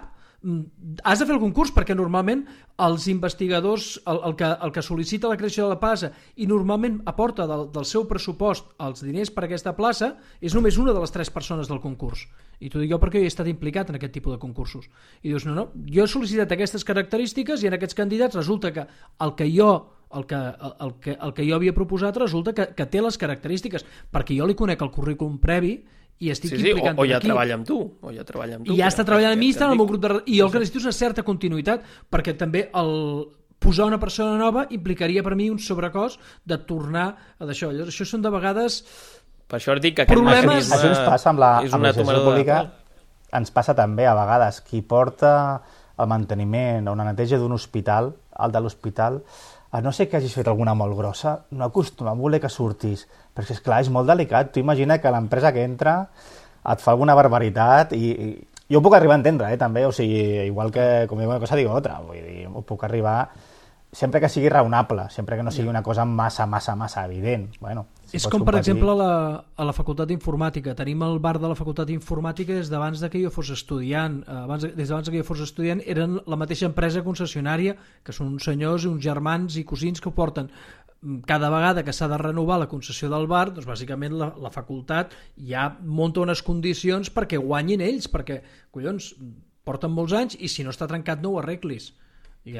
has de fer el concurs, perquè normalment els investigadors, el que sol·licita la creació de la plaça i normalment aporta del seu pressupost els diners per a aquesta plaça, és només una de les 3 persones del concurs. I t'ho dic jo perquè jo he estat implicat en aquest tipus de concursos. I dius, no, jo he sol·licitat aquestes característiques i en aquests candidats resulta que el que jo havia proposat resulta que té les característiques, perquè jo li conec el currículum previ i estic implicant o ja treballa amb tu. I ja està treballant amb mi, està en el meu grup i jo el que necessito és una certa continuïtat, perquè també posar una persona nova implicaria per mi un sobrecost de tornar a d'això. Això són de vegades... Per això dic que aquest mecanisme això ens passa amb la gestió pública. ens passa també a vegades qui porta el manteniment o una neteja d'un hospital, el de l'hospital, a no ser que hagis fet alguna molt grossa, no acostuma a voler que surtis, perquè esclar, és molt delicat. Tu imagina que l'empresa que entra et fa alguna barbaritat i jo ho puc arribar a entendre, també, o sigui, igual que com dic una cosa digo otra, vull dir, ho puc arribar sempre que sigui raonable, sempre que no sigui una cosa massa evident. Bueno, si és com, per exemple, a la Facultat d'Informàtica. Tenim el bar de la Facultat d'Informàtica des d'abans que jo fos estudiant. Des d'abans que jo fos estudiant eren la mateixa empresa concessionària, que són uns senyors, uns germans i cosins que ho porten. Cada vegada que s'ha de renovar la concessió del bar, doncs bàsicament la facultat ja munta unes condicions perquè guanyin ells, perquè, collons, porten molts anys i si no està trencat no ho arreglis. I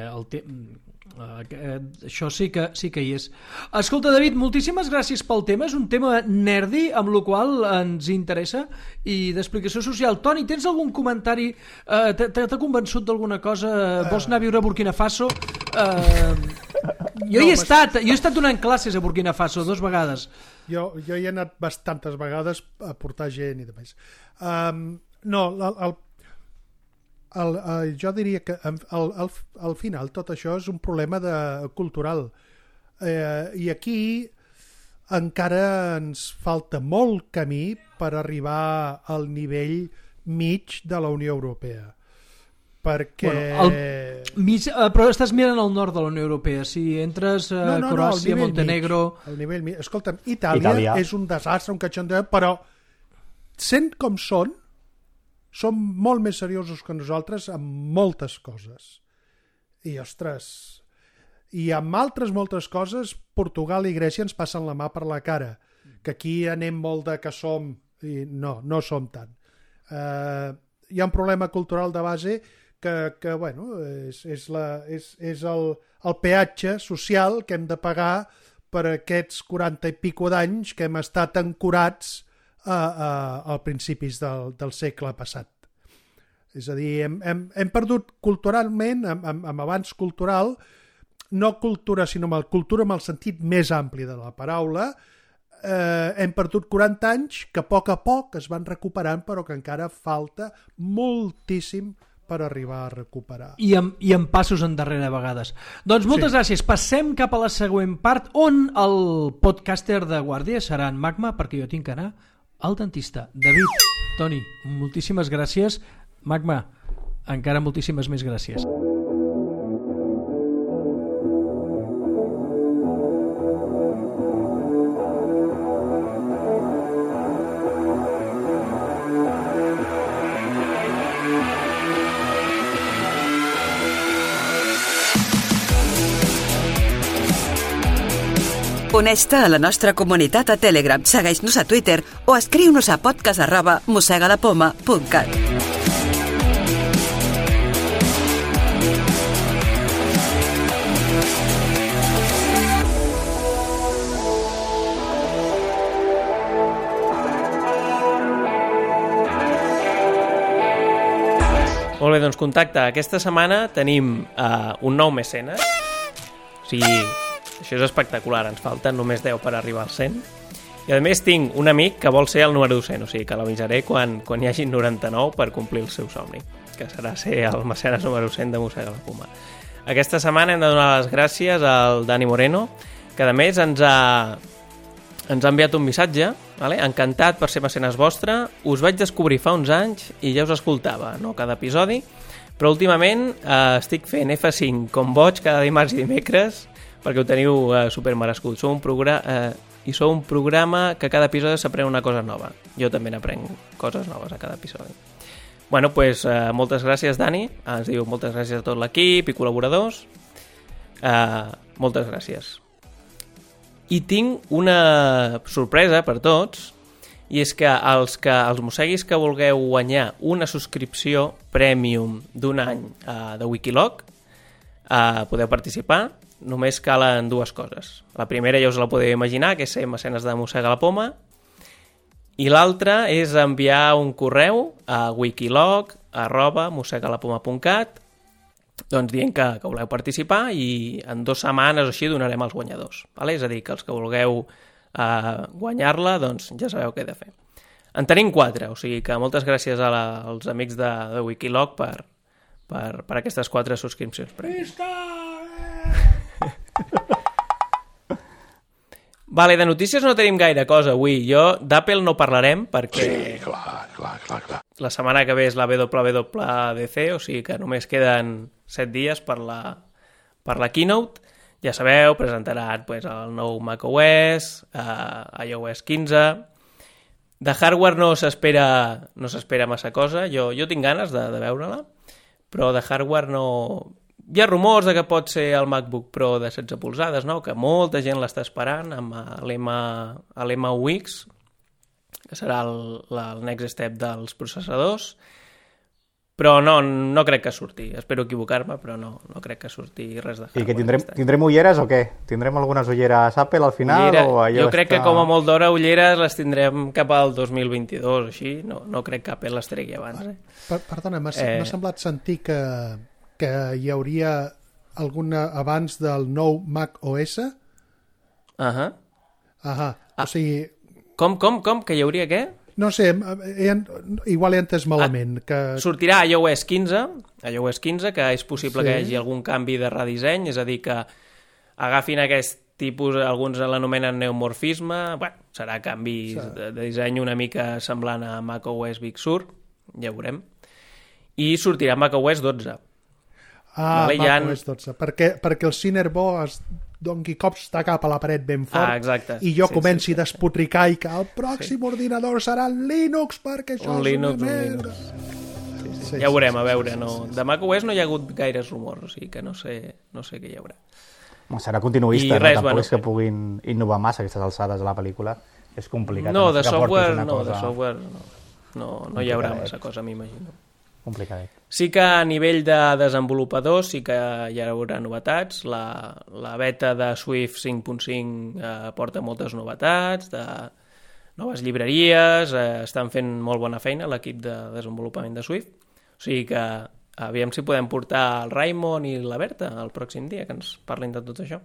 això sí que hi és. Escolta, David, moltíssimes gràcies pel tema. És un tema nerdy, amb el qual ens interessa, i d'explicació social. Toni, tens algun comentari? T'ha convençut d'alguna cosa? Vols anar a viure a Burkina Faso? Jo he estat donant classes a Burkina Faso 2 vegades. Jo hi he anat bastantes vegades a portar gent i demés. Jo diria que al final tot això és un problema cultural, i aquí encara ens falta molt camí per arribar al nivell mig de la Unió Europea, perquè... Però estàs mirant al nord de la Unió Europea. Si entres a Croàcia, Montenegro... El nivell mig. Escolta'm, Itàlia és un desastre, un catxondeo, però sent com són molt més seriosos que nosaltres en moltes coses. I, ostres, i amb altres moltes coses, Portugal i Grècia ens passen la mà per la cara, que aquí anem molt de que som, i no som tant. Hi ha un problema cultural de base que bueno, és el peatge social que hem de pagar per aquests 40 i pico d'anys que hem estat ancorats a principis del segle passat. És a dir, hem perdut culturalment, amb avanç cultural, no cultura, sinó cultura amb el sentit més ampli de la paraula, hem perdut 40 anys que a poc es van recuperant, però que encara falta moltíssim per arribar a recuperar. I amb passos endarrere a vegades. Doncs moltes gràcies. Passem cap a la següent part, on el podcaster de guàrdia serà en Magma, perquè jo tinc que anar al dentista. David, Toni, moltíssimes gràcies. Magma, encara moltíssimes més gràcies. Uneix-te a la nostra comunitat a Telegram, segueix-nos a Twitter o escriu-nos a podcast@mossegalapoma.cat. Molt bé, doncs contacte. Aquesta setmana tenim un nou mecenes. O sigui, això és espectacular. Ens falten només 10 per arribar als 100. I a més tinc un amic que vol ser el número 100, o sigui que l'avisaré quan hi hagi 99 per complir el seu somni, que serà ser el mecenes número 100 de Mossega la Poma. Aquesta setmana hem de donar les gràcies al Dani Moreno, que a més ens ha enviat un missatge, vale? Encantat per ser mecenes vostre, us vaig descobrir fa uns anys i ja us escoltava, no cada episodi, però últimament estic fent F5 com boig cada dimarts i dimecres perquè ho teniu supermerescut. Sou un programa que cada episodi s'aprèn una cosa nova. Jo també n'aprenc coses noves a cada episodi. Bueno, doncs moltes gràcies, Dani. Ens diu moltes gràcies a tot l'equip i col·laboradors. Moltes gràcies. I tinc una sorpresa per tots, i és que els mosseguis que vulgueu guanyar una subscripció premium d'un any de Wikiloc podeu participar. Només calen dues coses. La primera ja us la podeu imaginar, que és ser mecenes de Mossega la Poma, i l'altra és enviar un correu a wikiloc@mossegalapoma.cat, doncs dient que voleu participar, i en 2 setmanes o així donarem els guanyadors. Vale? És a dir, que els que vulgueu guanyar-la, doncs ja sabeu què he de fer. En tenim 4, o sigui que moltes gràcies als amics de Wikiloc per aquestes 4 subscripcions. Visca! Vale, de notícies no tenim gaire cosa avui. D'Apple no parlarem perquè... Sí, clar. La setmana que ve és la WWDC, o sigui que només queden 7 dies per la keynote. Ja sabeu, presentaran el nou macOS, iOS 15... De hardware no s'espera massa cosa. Jo tinc ganes de veure-la, però de hardware no... Hi ha rumors de que pot ser el MacBook Pro de 16 polzades, no? Que molta gent l'està esperant amb l'M1X, que serà el next step dels processadors, però no crec que surti. Espero equivocar-me, però no crec que surti res de hardware. I que tindrem ulleres o què? Tindrem algunes ulleres Apple al final? Jo crec que com a molt d'hora ulleres les tindrem cap al 2022 o així. No crec que Apple les tregui abans. Perdona, m'ha semblat sentir que hi hauria alguna abans del nou Mac OS? O sigui... Com? Que hi hauria què? No sé, igual he entès malament. Sortirà iOS 15, que és possible que hi hagi algun canvi de redisseny, és a dir, que agafin aquest tipus, alguns l'anomenen neomorfisme, serà canvi de disseny una mica semblant a macOS Big Sur, ja veurem, i sortirà macOS 12. macOS 12, perquè el Cinnamon es doni cops de cap a la paret ben fort exacte. I jo comenci a despotricar i que el pròxim ordinador serà en Linux perquè això és una merda. Ja veurem, a veure. De macOS no hi ha hagut gaires rumors, o sigui que no sé què hi haurà. Serà continuista, tampoc és que puguin innovar massa aquestes alçades de la pel·lícula. És complicat. De software no hi haurà massa cosa, m'imagino. Complicadet. Sí que a nivell de desenvolupadors sí que hi haurà novetats. La beta de Swift 5.5 porta moltes novetats, de noves llibreries, estan fent molt bona feina l'equip de desenvolupament de Swift. O sigui que aviam si podem portar el Raimon i la Berta el pròxim dia, que ens parlin de tot això.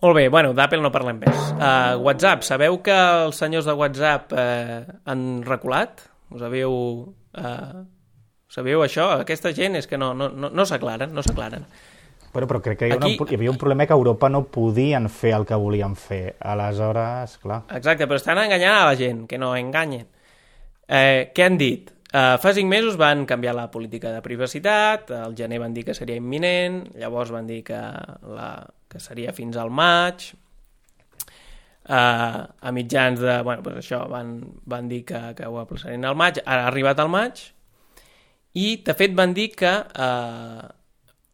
Molt bé, d'Apple no parlem més. WhatsApp, sabeu que els senyors de WhatsApp han reculat? Us sabíeu això? Aquesta gent és que no s'aclaren. Però crec que hi havia un problema que a Europa no podien fer el que volien fer. Aleshores, clar... Exacte, però estan enganyant a la gent, que no enganyen. Què han dit? Fa 5 mesos van canviar la política de privacitat, al gener van dir que seria imminent, llavors van dir que seria fins al maig... a mitjans de... això, van dir que ho aplaçarien al maig, ara ha arribat al maig, i de fet van dir que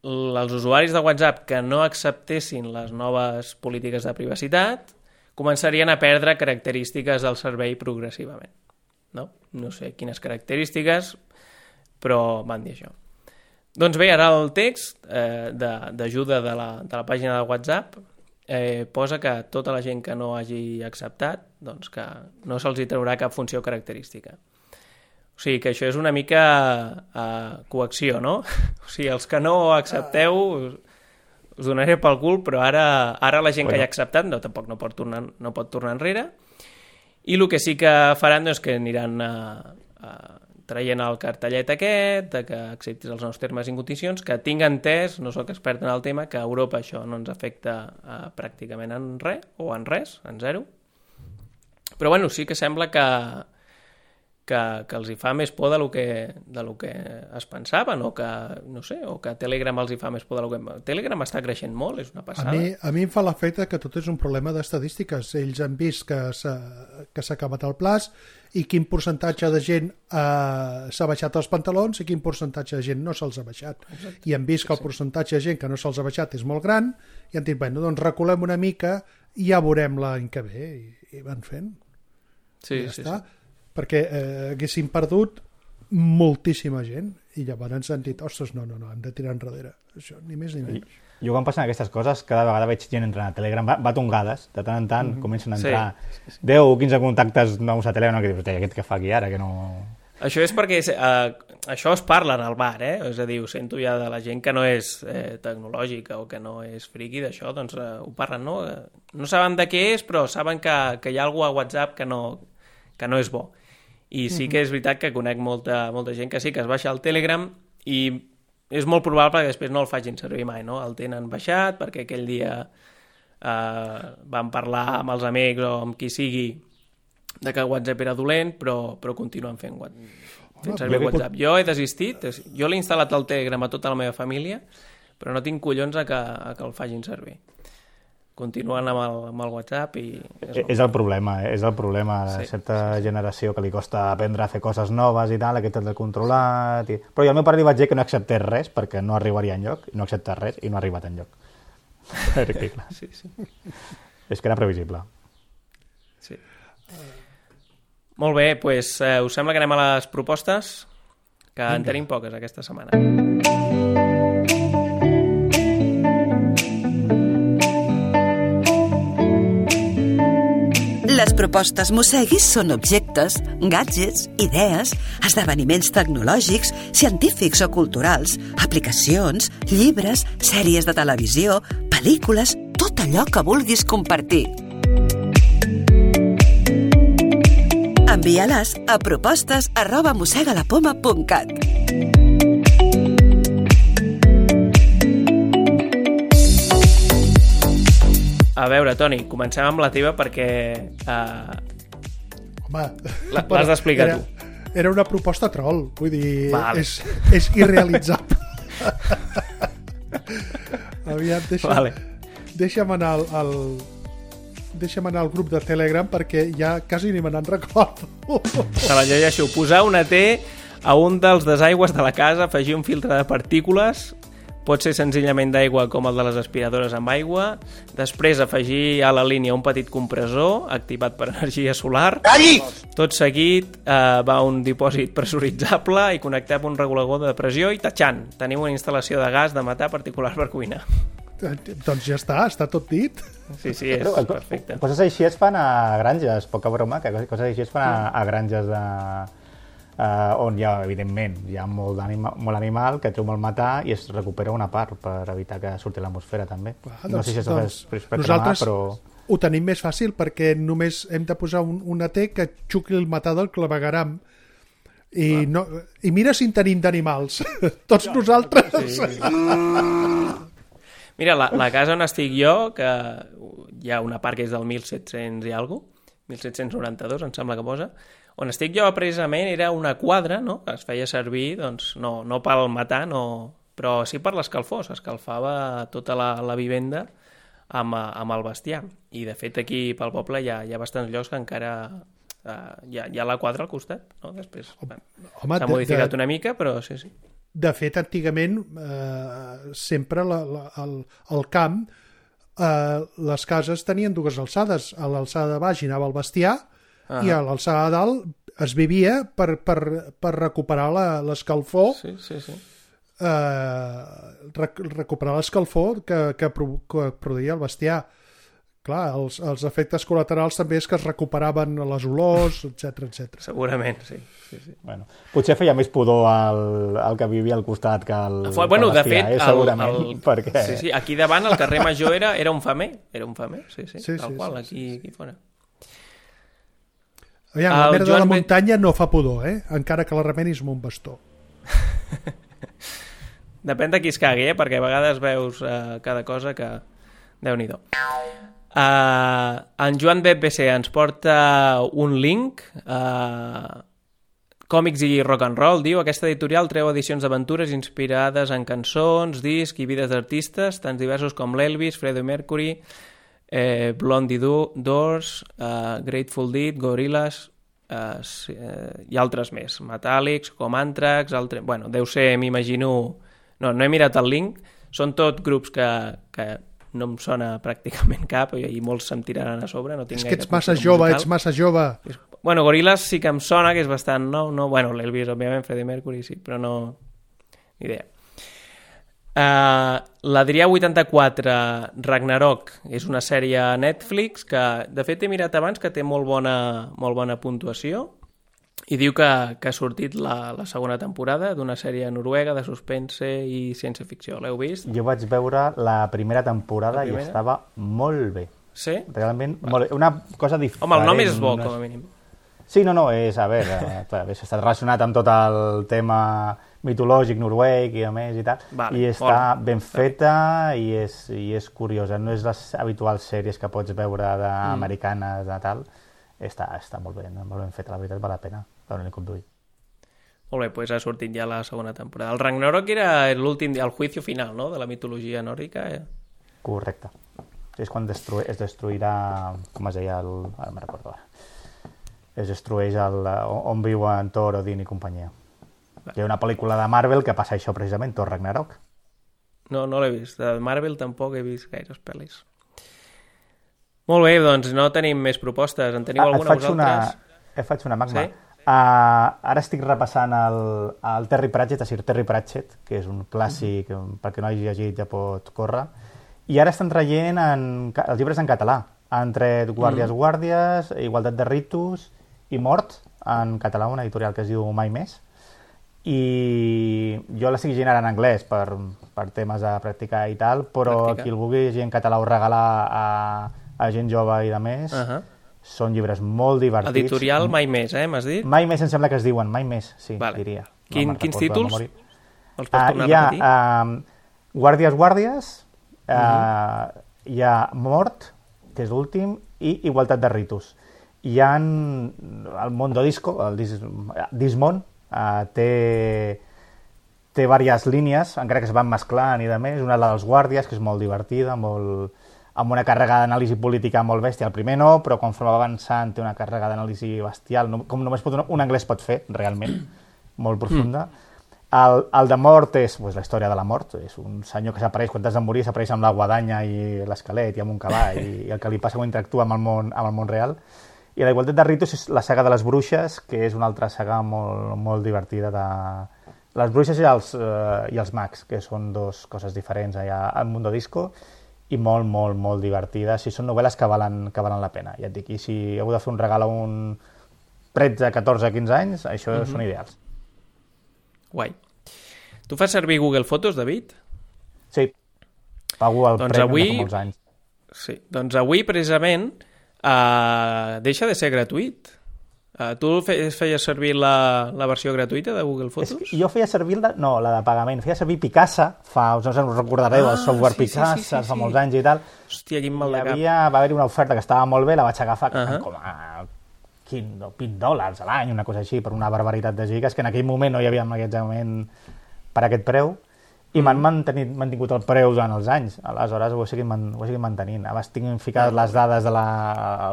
els usuaris de WhatsApp que no acceptessin les noves polítiques de privacitat començarien a perdre característiques del servei progressivament. No sé quines característiques, però van dir això. Doncs bé, ara el text d'ajuda de la pàgina de WhatsApp posa que tota la gent que no hagi acceptat, doncs que no se'ls hi traurà cap funció característica. O sigui que això és una mica coacció, no? O sigui, els que no accepteu us donaré pel cul, però ara la gent que hi ha acceptat tampoc no pot tornar enrere. I el que sí que faran és que aniran traient el cartellet aquest, que acceptis els nous termes i condicions, que tinc entès, no sóc expert en el tema, que a Europa això no ens afecta pràcticament en res, o en res, en zero. Però sí que sembla que els hi fa més por de lo que es pensaven, o que Telegram els hi fa més por de lo que... Telegram està creixent molt, és una passada. A mi em fa l'efecte que tot és un problema d'estadístiques. Ells han vist que s'ha acabat el plaç i quin percentatge de gent s'ha baixat els pantalons i quin percentatge de gent no se'ls ha baixat. Exacte. I han vist que el percentatge de gent que no se'ls ha baixat és molt gran i han dit, doncs reculem una mica i ja veurem l'any que ve. I van fent. Sí. Perquè haguessin perdut moltíssima gent i llavors han dit, ostres, no, hem de tirar enrere. Això, ni més ni menys. Jo quan passen aquestes coses, cada vegada veig gent entrant a Telegram, va tongades, de tant en tant comencen a entrar 10 o 15 contactes nous a Telegram, que dius, aquest què fa aquí ara, que no... Això és perquè això es parla en el bar, és a dir, ho sento ja de la gent que no és tecnològica o que no és friqui d'això, doncs ho parlen, no? No saben de què és, però saben que hi ha algú a WhatsApp que no no és bo. I sí que és veritat que conec molta gent que sí, que es baixa el Telegram i és molt probable que després no el facin servir mai, no? El tenen baixat perquè aquell dia van parlar amb els amics o amb qui sigui de que WhatsApp era dolent, però continuen fent servir WhatsApp. Jo he desistit, jo l'he instal·lat al Telegram a tota la meva família, però no tinc collons a que el facin servir. Continuen amb el WhatsApp i... És el problema de certa generació que li costa aprendre a fer coses noves i tal, aquest el de controlat... Però jo al meu pare li vaig dir que no acceptés res perquè no arribaria enlloc, i no accepta res i no ha arribat enlloc. Sí. És que era previsible. Sí. Molt bé, doncs us sembla que anem a les propostes? Que en tenim poques aquesta setmana. Les propostes Mosseguis són objectes, gadgets, idees, esdeveniments tecnològics, científics o culturals, aplicacions, llibres, sèries de televisió, pel·lícules, tot allò que vulguis compartir. Envia-les a propostes@mossegalapoma.cat. A veure, Toni, comencem amb la teva perquè Home, l'has d'explicar tu. Era una proposta troll, vull dir, vale. és irrealitzable. Aviam, deixa'm anar al grup de Telegram perquè ja quasi ni me n'en recordo. Se la llegeixo. Posar una T a un dels desaigües de la casa, afegir un filtre de partícules, pot ser senzillament d'aigua com el de les aspiradores amb aigua, després afegir a la línia un petit compressor activat per energia solar. Calli! Tot seguit va un dipòsit pressuritzable i connectar amb un regulador de pressió i tatxant. Tenim una instal·lació de gas de metà particular per cuinar. Doncs ja està tot dit. Sí, és perfecte. Coses així es fan a granges, poca broma, que coses així es fan a granges on hi ha, evidentment, hi ha molt animal que treu molt metà i es recupera una part per evitar que surti a l'atmosfera també. No sé si això és per nosaltres però... ho tenim més fàcil perquè només hem de posar una T que xucli el metà del clavegaram i mira si en tenim d'animals. Tots nosaltres. Sí. Mira, la casa on estic jo, que hi ha una part que és del 1700 i alguna cosa, 1792 em sembla que posa, on estic jo precisament era una quadra, no? Que es feia servir, doncs, no pel metà, però sí per l'escalfor. S'escalfava tota la vivenda amb el bestiar. I, de fet, aquí pel poble hi ha bastants llocs que encara hi ha la quadra al costat. No? Després s'ha modificat una mica, però sí. De fet, antigament, sempre al camp, les cases tenien dues alçades. A l'alçada de baix hi anava el bestiar i a l'alçada de dalt es vivia per recuperar l'escalfor. Sí. Recuperar l'escalfor que produïa el bestiar. Clar, els efectes col·laterals també és que es recuperaven les olors, etc. Segurament, sí. Bueno, potser feia més pudor el que vivia al costat que el bestiar, de fet, segurament. Perquè... Sí, aquí davant, el carrer Major era un femer. Sí, tal qual, aquí fora. Aviam, la merda de la muntanya no fa pudor, encara que la remenis amb un bastó. Depèn de qui es cagui, perquè a vegades veus cada cosa que... Déu-n'hi-do. En Joan BBC ens porta un link, còmics i rock and roll, diu, aquesta editorial treu edicions d'aventures inspirades en cançons, discs i vides d'artistes, tan diversos com l'Elvis, Freddie Mercury, Blondie Doors, Grateful Dead, Gorillaz i altres més, Metallics, com Anthrax, bueno, deu ser, m'imagino, no he mirat el link, són tot grups que no em sona pràcticament cap i molts se'm tiraran a sobre. No tinc és que ets massa jove. Bueno, Gorillaz sí que em sona, que és bastant no, bueno, l'Elvis, òbviament, Freddie Mercury sí, però no... Ni idea. L'Adrià 84 Ragnarok és una sèrie a Netflix que, de fet, he mirat abans que té molt bona puntuació i diu que ha sortit la segona temporada d'una sèrie noruega de suspense i ciència-ficció. L'heu vist? Jo vaig veure la primera temporada i estava molt bé. Sí? Realment, molt bé. Una cosa diferent. Home, el nom és bo, com a mínim. Sí, no, és, a veure, està relacionat amb tot el tema mitològic noruec i a més i tal, i està ben feta i és curiosa, no és les habituals sèries que pots veure americanes de tal, està molt ben feta, la veritat val la pena veure-li com d'ull. Molt bé, doncs ha sortit ja la segona temporada. El Ragnarok era l'últim, el juicio final, no?, de la mitologia nòrdica. Correcte. És quan es destruirà, com es deia, ara me'n recordo ara, es destrueix on viuen Thor, Odin i companyia. Hi ha una pel·lícula de Marvel que passa això precisament, Thor Ragnarok. No l'he vist. De Marvel tampoc he vist gaires pel·lis. Molt bé, doncs no tenim més propostes. En teniu alguna vosaltres? Et faig una, Magma. Sí? Ara estic repassant el Terry Pratchett, Terry Pratchett, que és un clàssic, perquè no hagi llegit ja pot córrer, i ara estan traient els llibres en català. Han tret Guàrdies, Igualtat de ritus i Mort, en català, una editorial que es diu Mai Més, i jo l'estic llegint ara en anglès per temes de practicar i tal, però qui el vulgui llegir en català o regalar a gent jove i de més, són llibres molt divertits. Editorial Mai Més, m'has dit? Mai Més em sembla que es diuen, Mai Més, sí, diria. Quins títols? Els pots tornar a repetir? Hi ha Guàrdies, hi ha Mort, que és l'últim, i Igualtat de ritus. Hi ha el Mondo Disco, el Dismon, té diverses línies, encara que es van mesclant i de més. Una dels Guàrdies, que és molt divertida, amb una càrrega d'anàlisi política molt bèstia. El primer no, però conforme va avançant té una càrrega d'anàlisi bestial, com només un anglès pot fer, realment, molt profunda. El de Mort és la història de la mort, és un senyor que s'apareix quan t'has de morir, s'apareix amb la guadanya i l'esquelet i amb un cavall, i el que li passa quan interactua amb el món real. I la Igualtat de ritus és la saga de les bruixes, que és una altra saga molt, molt divertida de les bruixes i els mags, que són dues coses diferents allà al Mundo Disco, i molt, molt, molt divertides. I són novel·les que valen la pena. Ja et dic, i si heu de fer un regal a un 13, 14, 15 anys, això són ideals. Guai. Tu fas servir Google Fotos, David? Sí. Pago el premi fa molts anys. Sí. Doncs avui, precisament, deixa de ser gratuït. Tu feies servir la versió gratuïta de Google Fotos? Jo feia servir la de pagament. Feia servir Picasa, us recordareu, el software Picasa, fa molts anys i tal. Hòstia, quin mal de cap. Va haver-hi una oferta que estava molt bé, la vaig agafar com a $20 a l'any, una cosa així, per una barbaritat de gigas, que en aquell moment no hi havia magatzemament per aquest preu, i m'han mantingut el preu durant els anys. Aleshores ho he seguit mantenint. Abans tinc ficat les dades del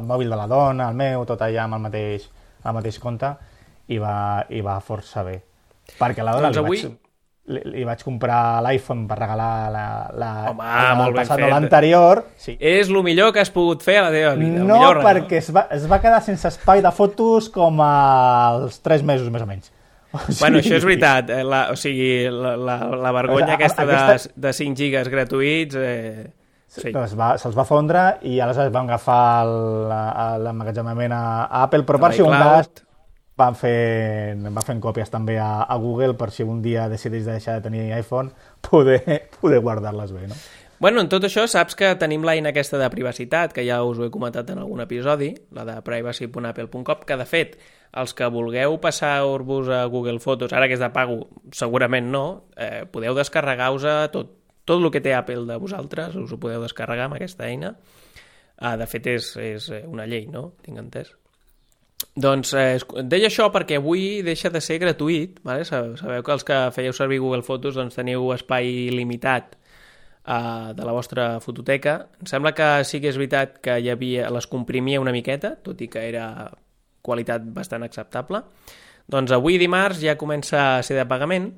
mòbil de la dona, el meu, tot allà amb el mateix compte, i va força bé. Perquè a la dona li vaig comprar l'iPhone per regalar el passat o l'anterior. Sí. És el millor que has pogut fer a la teva vida. No, perquè es va quedar sense espai de fotos com als 3 mesos, més o menys. Bueno, això és veritat. La vergonya aquesta de 5 gigas gratuïts... Sí. Se'ls va fondre i aleshores van agafar l'emmagatzemament a Apple, però per si un cas van fent còpies també a Google per si un dia decideix deixar de tenir iPhone poder guardar-les bé, no? Bueno, en tot això saps que tenim l'eina aquesta de privacitat, que ja us ho he comentat en algun episodi, la de privacy.apple.com, que de fet, els que vulgueu passar-vos a Google Fotos, ara que és de pago, segurament no, podeu descarregar-vos tot el que té Apple de vosaltres, us ho podeu descarregar amb aquesta eina. De fet, és una llei, no? Tinc entès. Doncs deia això perquè avui deixa de ser gratuït, vale? Sabeu que els que fèieu servir Google Fotos doncs, teniu espai limitat de la vostra fototeca. Em sembla que sí que és veritat que les comprimia una miqueta, tot i que era qualitat bastant acceptable. Doncs avui dimarts ja comença a ser de pagament,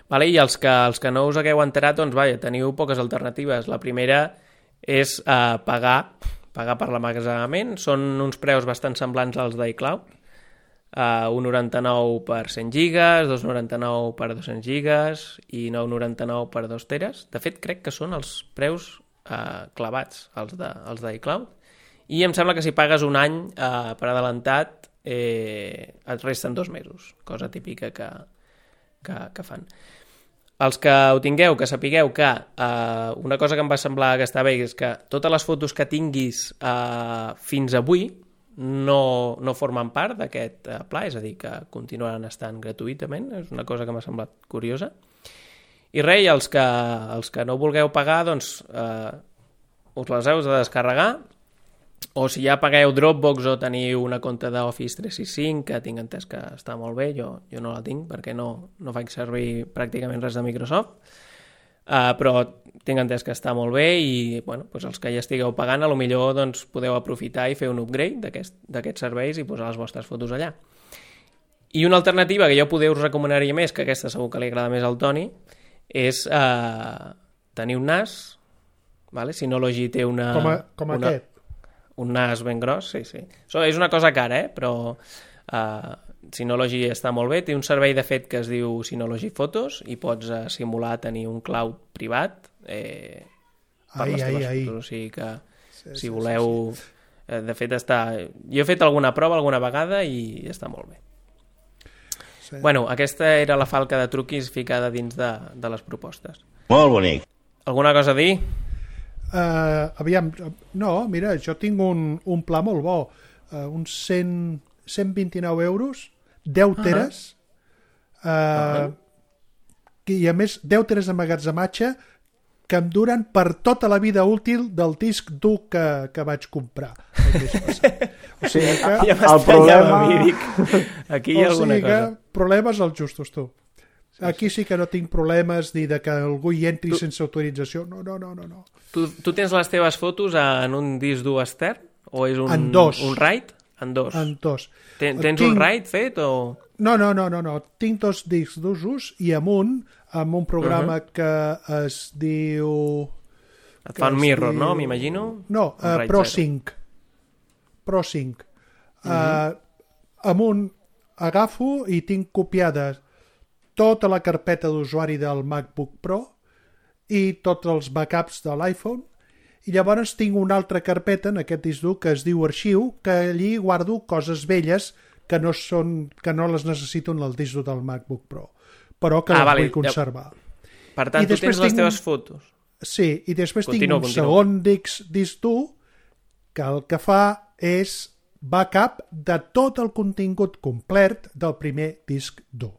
vale? I els que no us hagueu enterat, doncs teniu poques alternatives. La primera és pagar per l'emmagatzemament. Són uns preus bastant semblants als d'iCloud. 1,99 per 100 gigas, 2,99 per 200 gigas i 9,99 per 2 teres. De fet, crec que són els preus clavats, els d'iCloud. I em sembla que si pagues un any per adelantat et resten 2 mesos, cosa típica que fan. Els que ho tingueu, que sapigueu que una cosa que em va semblar que està bé és que totes les fotos que tinguis fins avui, no formen part d'aquest pla, és a dir, que continuaran estant gratuïtament, és una cosa que m'ha semblat curiosa. I res, els que no vulgueu pagar, doncs us les heu de descarregar, o si ja pagueu Dropbox o teniu una compte d'Office 365, que tinc entès que està molt bé, jo no la tinc perquè no faig servir pràcticament res de Microsoft, però tinc entès que està molt bé i bueno, doncs els que ja estigueu pagant potser doncs, podeu aprofitar i fer un upgrade d'aquests serveis i posar les vostres fotos allà. I una alternativa que jo poder us recomanaria més, que aquesta segur que li agrada més al Toni, és tenir un NAS, vale? Synology té aquest. Un NAS ben gros, sí. És una cosa cara, però Synology està molt bé. Té un servei, de fet, que es diu Synology Photos i pots simular tenir un cloud privat per les teves fotos. O sigui que, si voleu... De fet, jo he fet alguna prova alguna vegada i està molt bé. Sí. Bueno, aquesta era la falca de truquis ficada dins de les propostes. Molt bonic. Alguna cosa a dir? Aviam, no, mira, jo tinc un pla molt bo, uns 129 euros, 10 teres, i a més 10 teres d'emmagatzematge que em duren per tota la vida útil del disc dur que vaig comprar el mes passat. O sigui que ja el problema... Aquí hi ha alguna cosa. Problemes els justos, tu. Aquí sí que no tinc problemes ni de que algú hi entri sense autorització. No. Tu tens les teves fotos en un disc dur extern? O és un RAID? En dos. Tens un RAID fet o...? No. Tinc 2 discs d'usos i amb un programa que es diu... Et fa un mirror, no? M'imagino? No, ProSync. ProSync. Amb un agafo i tinc copiades tota la carpeta d'usuari del MacBook Pro i tots els backups de l'iPhone i llavors tinc una altra carpeta en aquest disc dur que es diu arxiu, que allí guardo coses velles que no les necessito en el disc dur del MacBook Pro, però que les vull conservar. Per tant, tu tens les teves fotos. Sí, i després tinc un segon disc dur que el que fa és backup de tot el contingut complet del primer disc dur.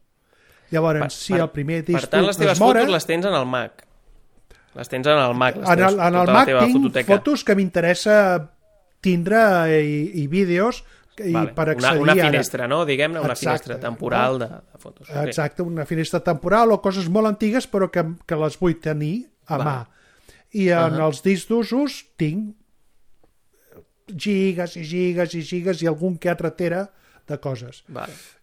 Llavors, si el primer disc per tant, les teves fotos les tens en el Mac. Les tens en el Mac. En el Mac tinc fotos que m'interessa tindre i vídeos per accedir... Una finestra, no? Diguem-ne, una finestra temporal de fotos. Exacte, una finestra temporal o coses molt antigues però que les vull tenir a mà. I en els discs d'usos tinc gigas i gigas i gigas i algun que altre tera de coses.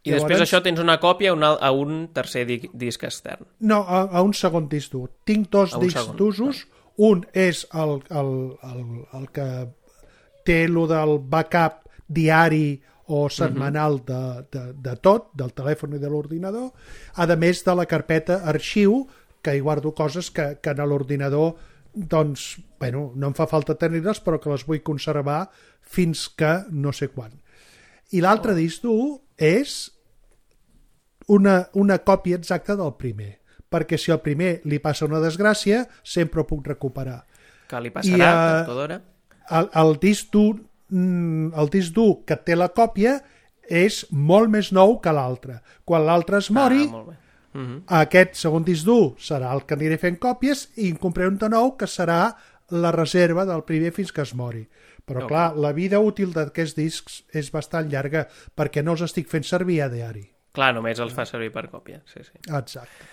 I després això tens una còpia a un tercer disc extern. No, a un segon disc dur. Tinc 2 discs d'usos. Un és el que té lo del backup diari o setmanal de tot, del telèfon i de l'ordinador, a més de la carpeta arxiu, que hi guardo coses que en l'ordinador doncs, bueno, no em fa falta tenir-les, però que les vull conservar fins que no sé quan. I l'altre disc dur és una còpia exacta del primer, perquè si al primer li passa una desgràcia, sempre ho puc recuperar. Que li passarà tot d'hora? El disc dur que té la còpia és molt més nou que l'altre. Quan l'altre es mori, aquest segon disc dur serà el que aniré fent còpies i en compraré un de nou que serà la reserva del primer fins que es mori. Però clar, la vida útil d'aquests discs és bastant llarga perquè no els estic fent servir a diari. Clar, només els fa servir per còpia. Sí. Exacte.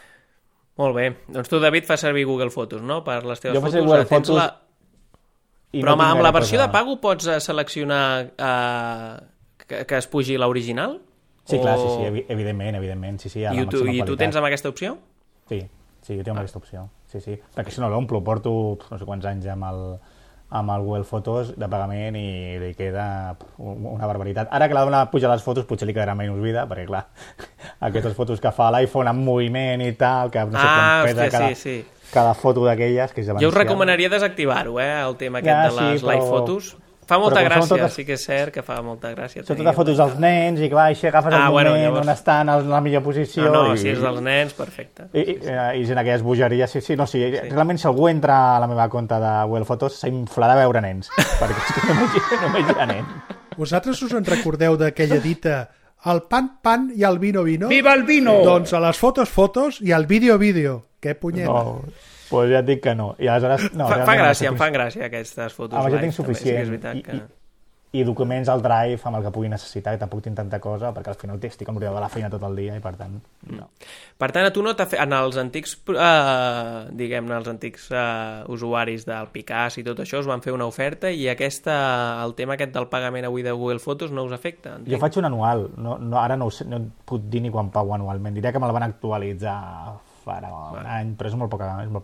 Molt bé. Doncs tu, David, fas servir Google Fotos, no? Per les teves fotos. Jo faig Google Fotos... Però amb la versió de pago pots seleccionar que es pugi l'original? Sí, clar, sí, evidentment. Sí, I tu tens amb aquesta opció? Sí, jo tinc amb aquesta opció. Sí. Perquè si no l'omplo, porto no sé quants anys amb el Google Fotos de pagament i li queda una barbaritat. Ara que la dona puja les fotos potser li quedarà menys vida, perquè clar, aquestes fotos que fa l'iPhone amb moviment i tal, que no sé quan pesa cada foto d'aquelles, que és demencial. Jo us recomanaria desactivar-ho, el tema aquest de les live fotos. Fa molta gràcia, sí que és cert que fa molta gràcia. Són totes fotos dels nens i clar, així agafes el moment on estan en la millor posició. Si és dels nens, perfecte. I en aquelles bogeries, realment si algú entra a la meva compte de Google Fotos s'inflarà a veure nens, perquè és que només hi ha nens. Vosaltres us en recordeu d'aquella dita el pan i el vino? Viva el vino! Doncs a les fotos i al vídeo. Què punyeta? No, pues ja et dic que no. I aleshores, no fa gràcia, em fan gràcia aquestes fotos. Jo tinc suficient. I documents al Drive amb el que pugui necessitar, que tampoc tinc tanta cosa, perquè al final estic amb l'ordinador de la feina tot el dia i per tant, no. Per tant, a tu no t'ha fet... En els antics, diguem-ne, els antics usuaris del Picàs i tot això us van fer una oferta i el tema aquest del pagament avui de Google Fotos no us afecta? Entenc. Jo faig un anual, ara no puc dir ni quan pago anualment, diria que me'l van actualitzar farà un any, però és molt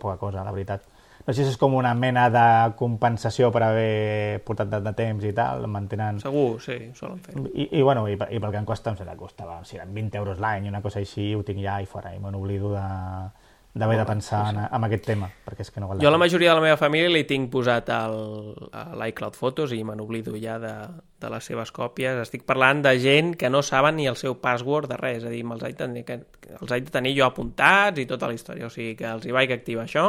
poca cosa, la veritat. No sé si és com una mena de compensació per haver portat de temps i tal, mantenen... Segur, sí, solen fer. I pel que em costa, costava, si eren 20 euros l'any, una cosa així, ho tinc ja i fora, i me n'oblido d'haver de pensar en aquest tema, perquè és que no val. Jo la majoria de la meva família li tinc posat a l'iCloud Fotos i me n'oblido ja de les seves còpies. Estic parlant de gent que no saben ni el seu password de res, és a dir, els haig de tenir jo apuntats i tota la història, o sigui que els hi vaig activar això.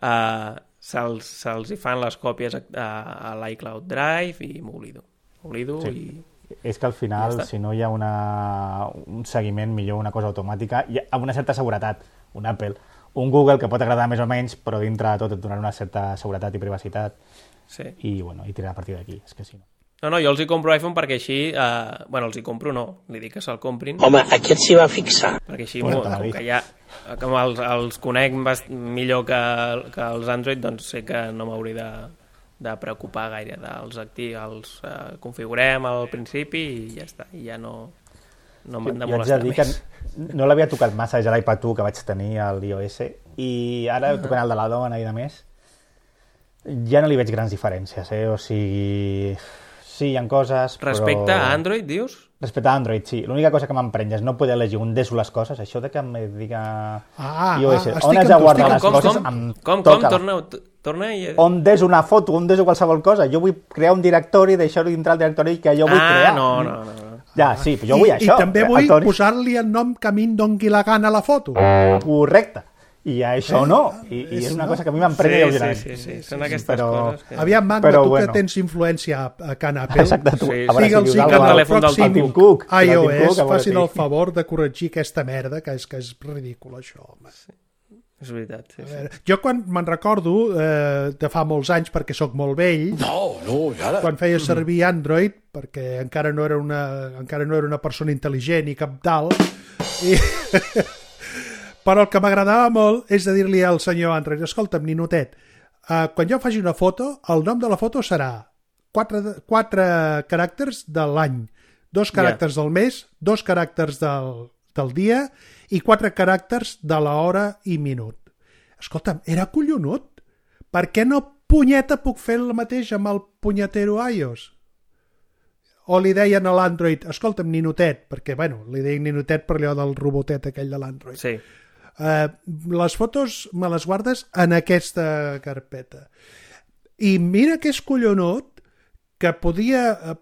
Se'ls hi fan les còpies a l'iCloud Drive i m'oblido sí. I... És que al final, si no hi ha un seguiment, millor una cosa automàtica, i amb una certa seguretat, un Apple, un Google que pot agradar més o menys, però dintre de tot et donarà una certa seguretat i privacitat, sí. I tirar a partir d'aquí, és que si no. No, jo els hi compro iPhone perquè així... els hi compro no, li dic que se'l comprin. Home, aquest s'hi va fixar. Perquè així, com que ja... Com els conec millor que els Android, doncs sé que no m'hauré de preocupar gaire. Els configurem al principi i ja està. I ja no m'han de molestar més. Jo haig de dir que no l'havia tocat massa ja l'iPad 1 que vaig tenir a l'iOS i ara tocant el de la dona i de més ja no li veig grans diferències, o sigui... Sí, hi ha coses, però... Respecte a Android, dius? Respecte a Android, sí. L'única cosa que m'emprenya és no poder elegir on deixo les coses, això de que em diga... iOS, on has de guardar les coses, em toca. Torna i... On deixo una foto, on deixo qualsevol cosa. Jo vull crear un directori, deixar-ho dintre el directori que jo vull crear. No. Ja, sí, jo vull això. I també vull posar-li el nom que a mi em doni la gana a la foto. Correcte. I això no. I és una cosa que a mi m'emprenya lleugerament. Sí. Són aquestes coses. Aviam, Magma, tu que tens influència a Can Apple, digue'ls que en el pròxim iOS facin el favor de corregir aquesta merda, que és ridícul, això, home. És veritat, sí. Jo quan me'n recordo de fa molts anys, perquè sóc molt vell, quan feia servir Android, perquè encara no era una persona intel·ligent i cabdal, però el que m'agradava molt és de dir-li al senyor Android, escolta'm, ninotet, quan jo faci una foto, el nom de la foto serà 4 caràcters de l'any, 2 caràcters del mes, 2 caràcters del dia i 4 caràcters de l'hora i minut. Escolta'm, era collonut. Per què no punyeta puc fer el mateix amb el punyetero iOS? O li deien a l'Android, escolta'm, ninotet, perquè, li deien ninotet per allò del robotet aquell de l'Android. Sí. Les fotos me les guardes en aquesta carpeta. I mira que és collonut que podia,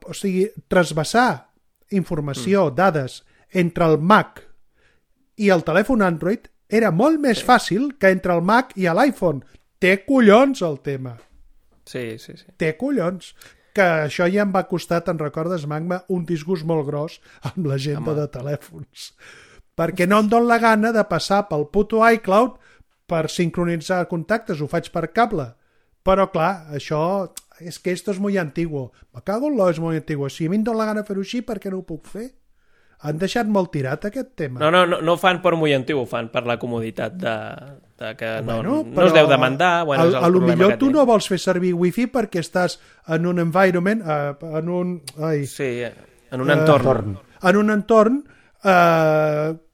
trasbassar informació, dades, entre el Mac i el telèfon Android era molt més fàcil que entre el Mac i l'iPhone. Té collons el tema. Sí. Té collons. Que això ja em va costar, te'n recordes, Magma, un disgust molt gros amb l'agenda de telèfons. Perquè no em dóna la gana de passar pel puto iCloud per sincronitzar contactes, ho faig per cable. Però, clar, això... És que esto es muy antiguo. Me cago en lo, és muy antiguo. Si a mi em dóna la gana fer-ho així, per què no ho puc fer? Han deixat molt tirat aquest tema. No fan per muy antiguo, ho fan per la comoditat de que no es deu demandar. A lo millor tu no vols fer servir wifi perquè estàs en un environment, en un entorn. En un entorn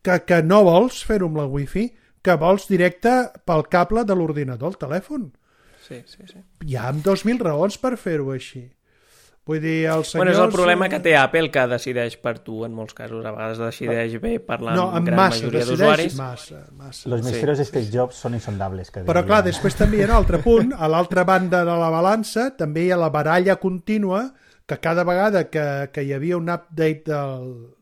que no vols fer-ho amb la wifi, que vols directe pel cable de l'ordinador, el telèfon. Sí. Hi ha 2.000 raons per fer-ho així. Vull dir, els senyors... És el problema que té Apple, que decideix per tu en molts casos. A vegades decideix bé parlant amb gran majoria d'usuaris. Massa. Los misterios de Steve Jobs són insondables. Però clar, després també hi ha un altre punt. A l'altra banda de la balança també hi ha la baralla contínua que cada vegada que hi havia un update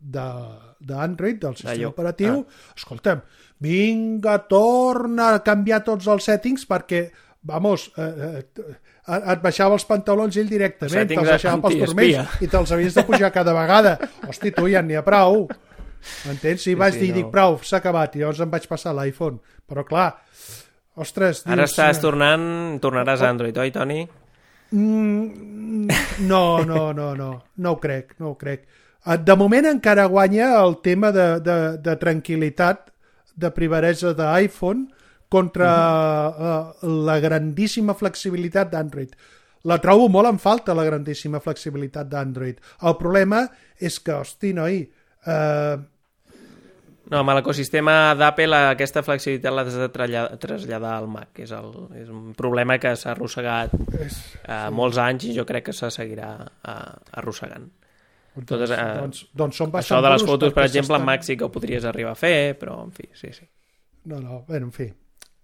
d'Android, del sistema operatiu, escolta'm, vinga, torna a canviar tots els settings perquè vamos, et baixava els pantalons ell directament, te'ls baixava pels turmells i te'ls havies de pujar cada vegada. Hosti, tu ja n'hi ha prou. M'entens? I vaig dir, dic, prou, s'ha acabat. I llavors em vaig passar l'iPhone. Però clar, ostres... Ara tornaràs a Android, oi, Toni? No ho crec. De moment encara guanya el tema de tranquil·litat, de privadesa d'iPhone contra la grandíssima flexibilitat d'Android. La trobo molt en falta, la grandíssima flexibilitat d'Android. El problema és que, hosti, noi... No, amb l'ecosistema d'Apple aquesta flexibilitat l'has de traslladar al Mac. És un problema que s'ha arrossegat molts anys i jo crec que se seguirà arrossegant. Doncs són això de les fotos, per exemple, en Mac sí que ho podries arribar a fer, però en fi, sí. No, en fi.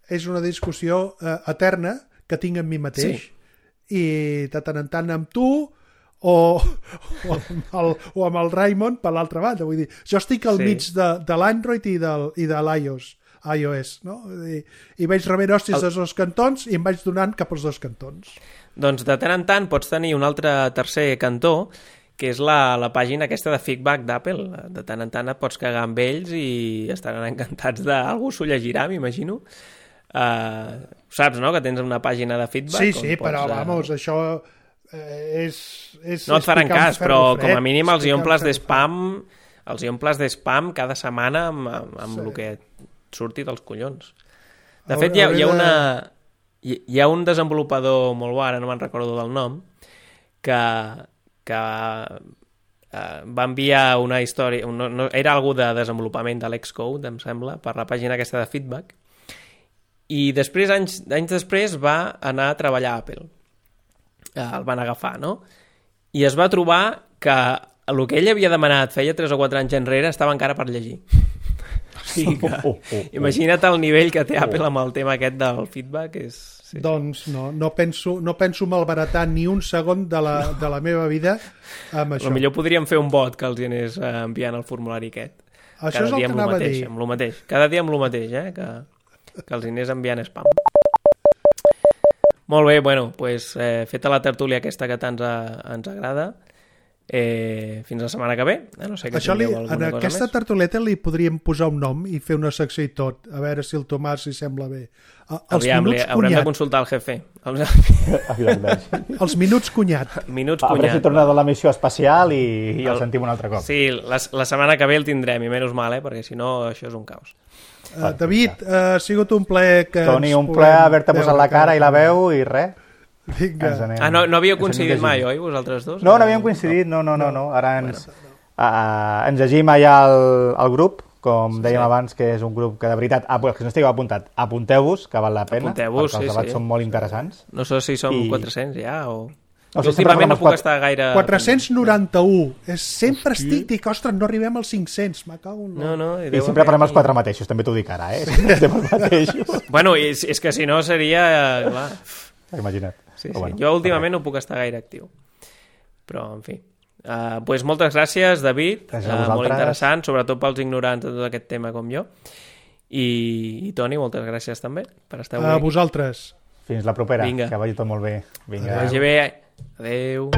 És una discussió eterna que tinc amb mi mateix i de tant en tant amb tu o amb el Raymond per l'altra banda. Vull dir, jo estic al mig de l'Android i de l'iOS, no? I vaig rebent hòsties dels dos cantons i em vaig donant cap als dos cantons. Doncs de tant en tant pots tenir un altre tercer cantó, que és la pàgina aquesta de feedback d'Apple. De tant en tant et pots cagar amb ells i estaran encantats algú s'ho llegirà, m'imagino. Saps, no?, que tens una pàgina de feedback. Sí, però, vamos, això és no et faran cas, però com a mínim els hi omples d'espam cada setmana amb el que et surti dels collons. De fet, hi ha un desenvolupador molt bo, ara no me'n recordo del nom, que va enviar una història, era algú de desenvolupament de l'Xcode, em sembla, per la pàgina aquesta de feedback, i després, anys després, va anar a treballar a Apple. El van agafar, no? I es va trobar que el que ell havia demanat feia 3 o 4 anys enrere estava encara per llegir. O sigui que, imagina't el nivell que té Apple amb el tema aquest del feedback. Doncs no penso malbaratar ni un segon de la meva vida amb això. Potser podríem fer un bot que els anés enviant el formulari aquest. Això és el que anava a dir. Amb lo mateix. Cada dia amb lo mateix, que els anés enviant spam. Molt bé, bueno, doncs feta la tertúlia aquesta que tant ens agrada, fins la setmana que ve. No sé que en aquesta tertulieta li podríem posar un nom i fer una secció i tot, a veure si el Tomàs li sembla bé. Haurem de consultar el jefe. Els minuts cunyat. A veure si torna de la missió espacial i el sentim un altre cop. Sí, la setmana que ve el tindrem, i menys mal, perquè si no això és un caos. David, ha sigut un plaer que Toni, un plaer haver-te posat la cara i la veu i res. No havíeu coincidit mai, oi, vosaltres dos? No havíem coincidit, no. Ara ens llegim allà al grup, com dèiem abans, que és un grup que de veritat, que no estigueu apuntat, apunteu-vos, que val la pena, perquè els debats són molt interessants. No sé si som 400 ja o... Últimament no puc estar gaire... 491. Sempre dic, ostres, no arribem als 500. I sempre parlem els 4 mateixos, també t'ho dic ara, Sempre estem els mateixos. Bueno, és que si no seria... Clar. Imagina't. Sí. Jo últimament no puc estar gaire actiu. Però, en fi. Pues moltes gràcies, David. Molt interessant, sobretot pels ignorants de tot aquest tema com jo. I Toni, moltes gràcies també per estar avui. A vosaltres. Fins la propera. Que vagi tot molt bé. Vinga. Que vagi bé. Adéu.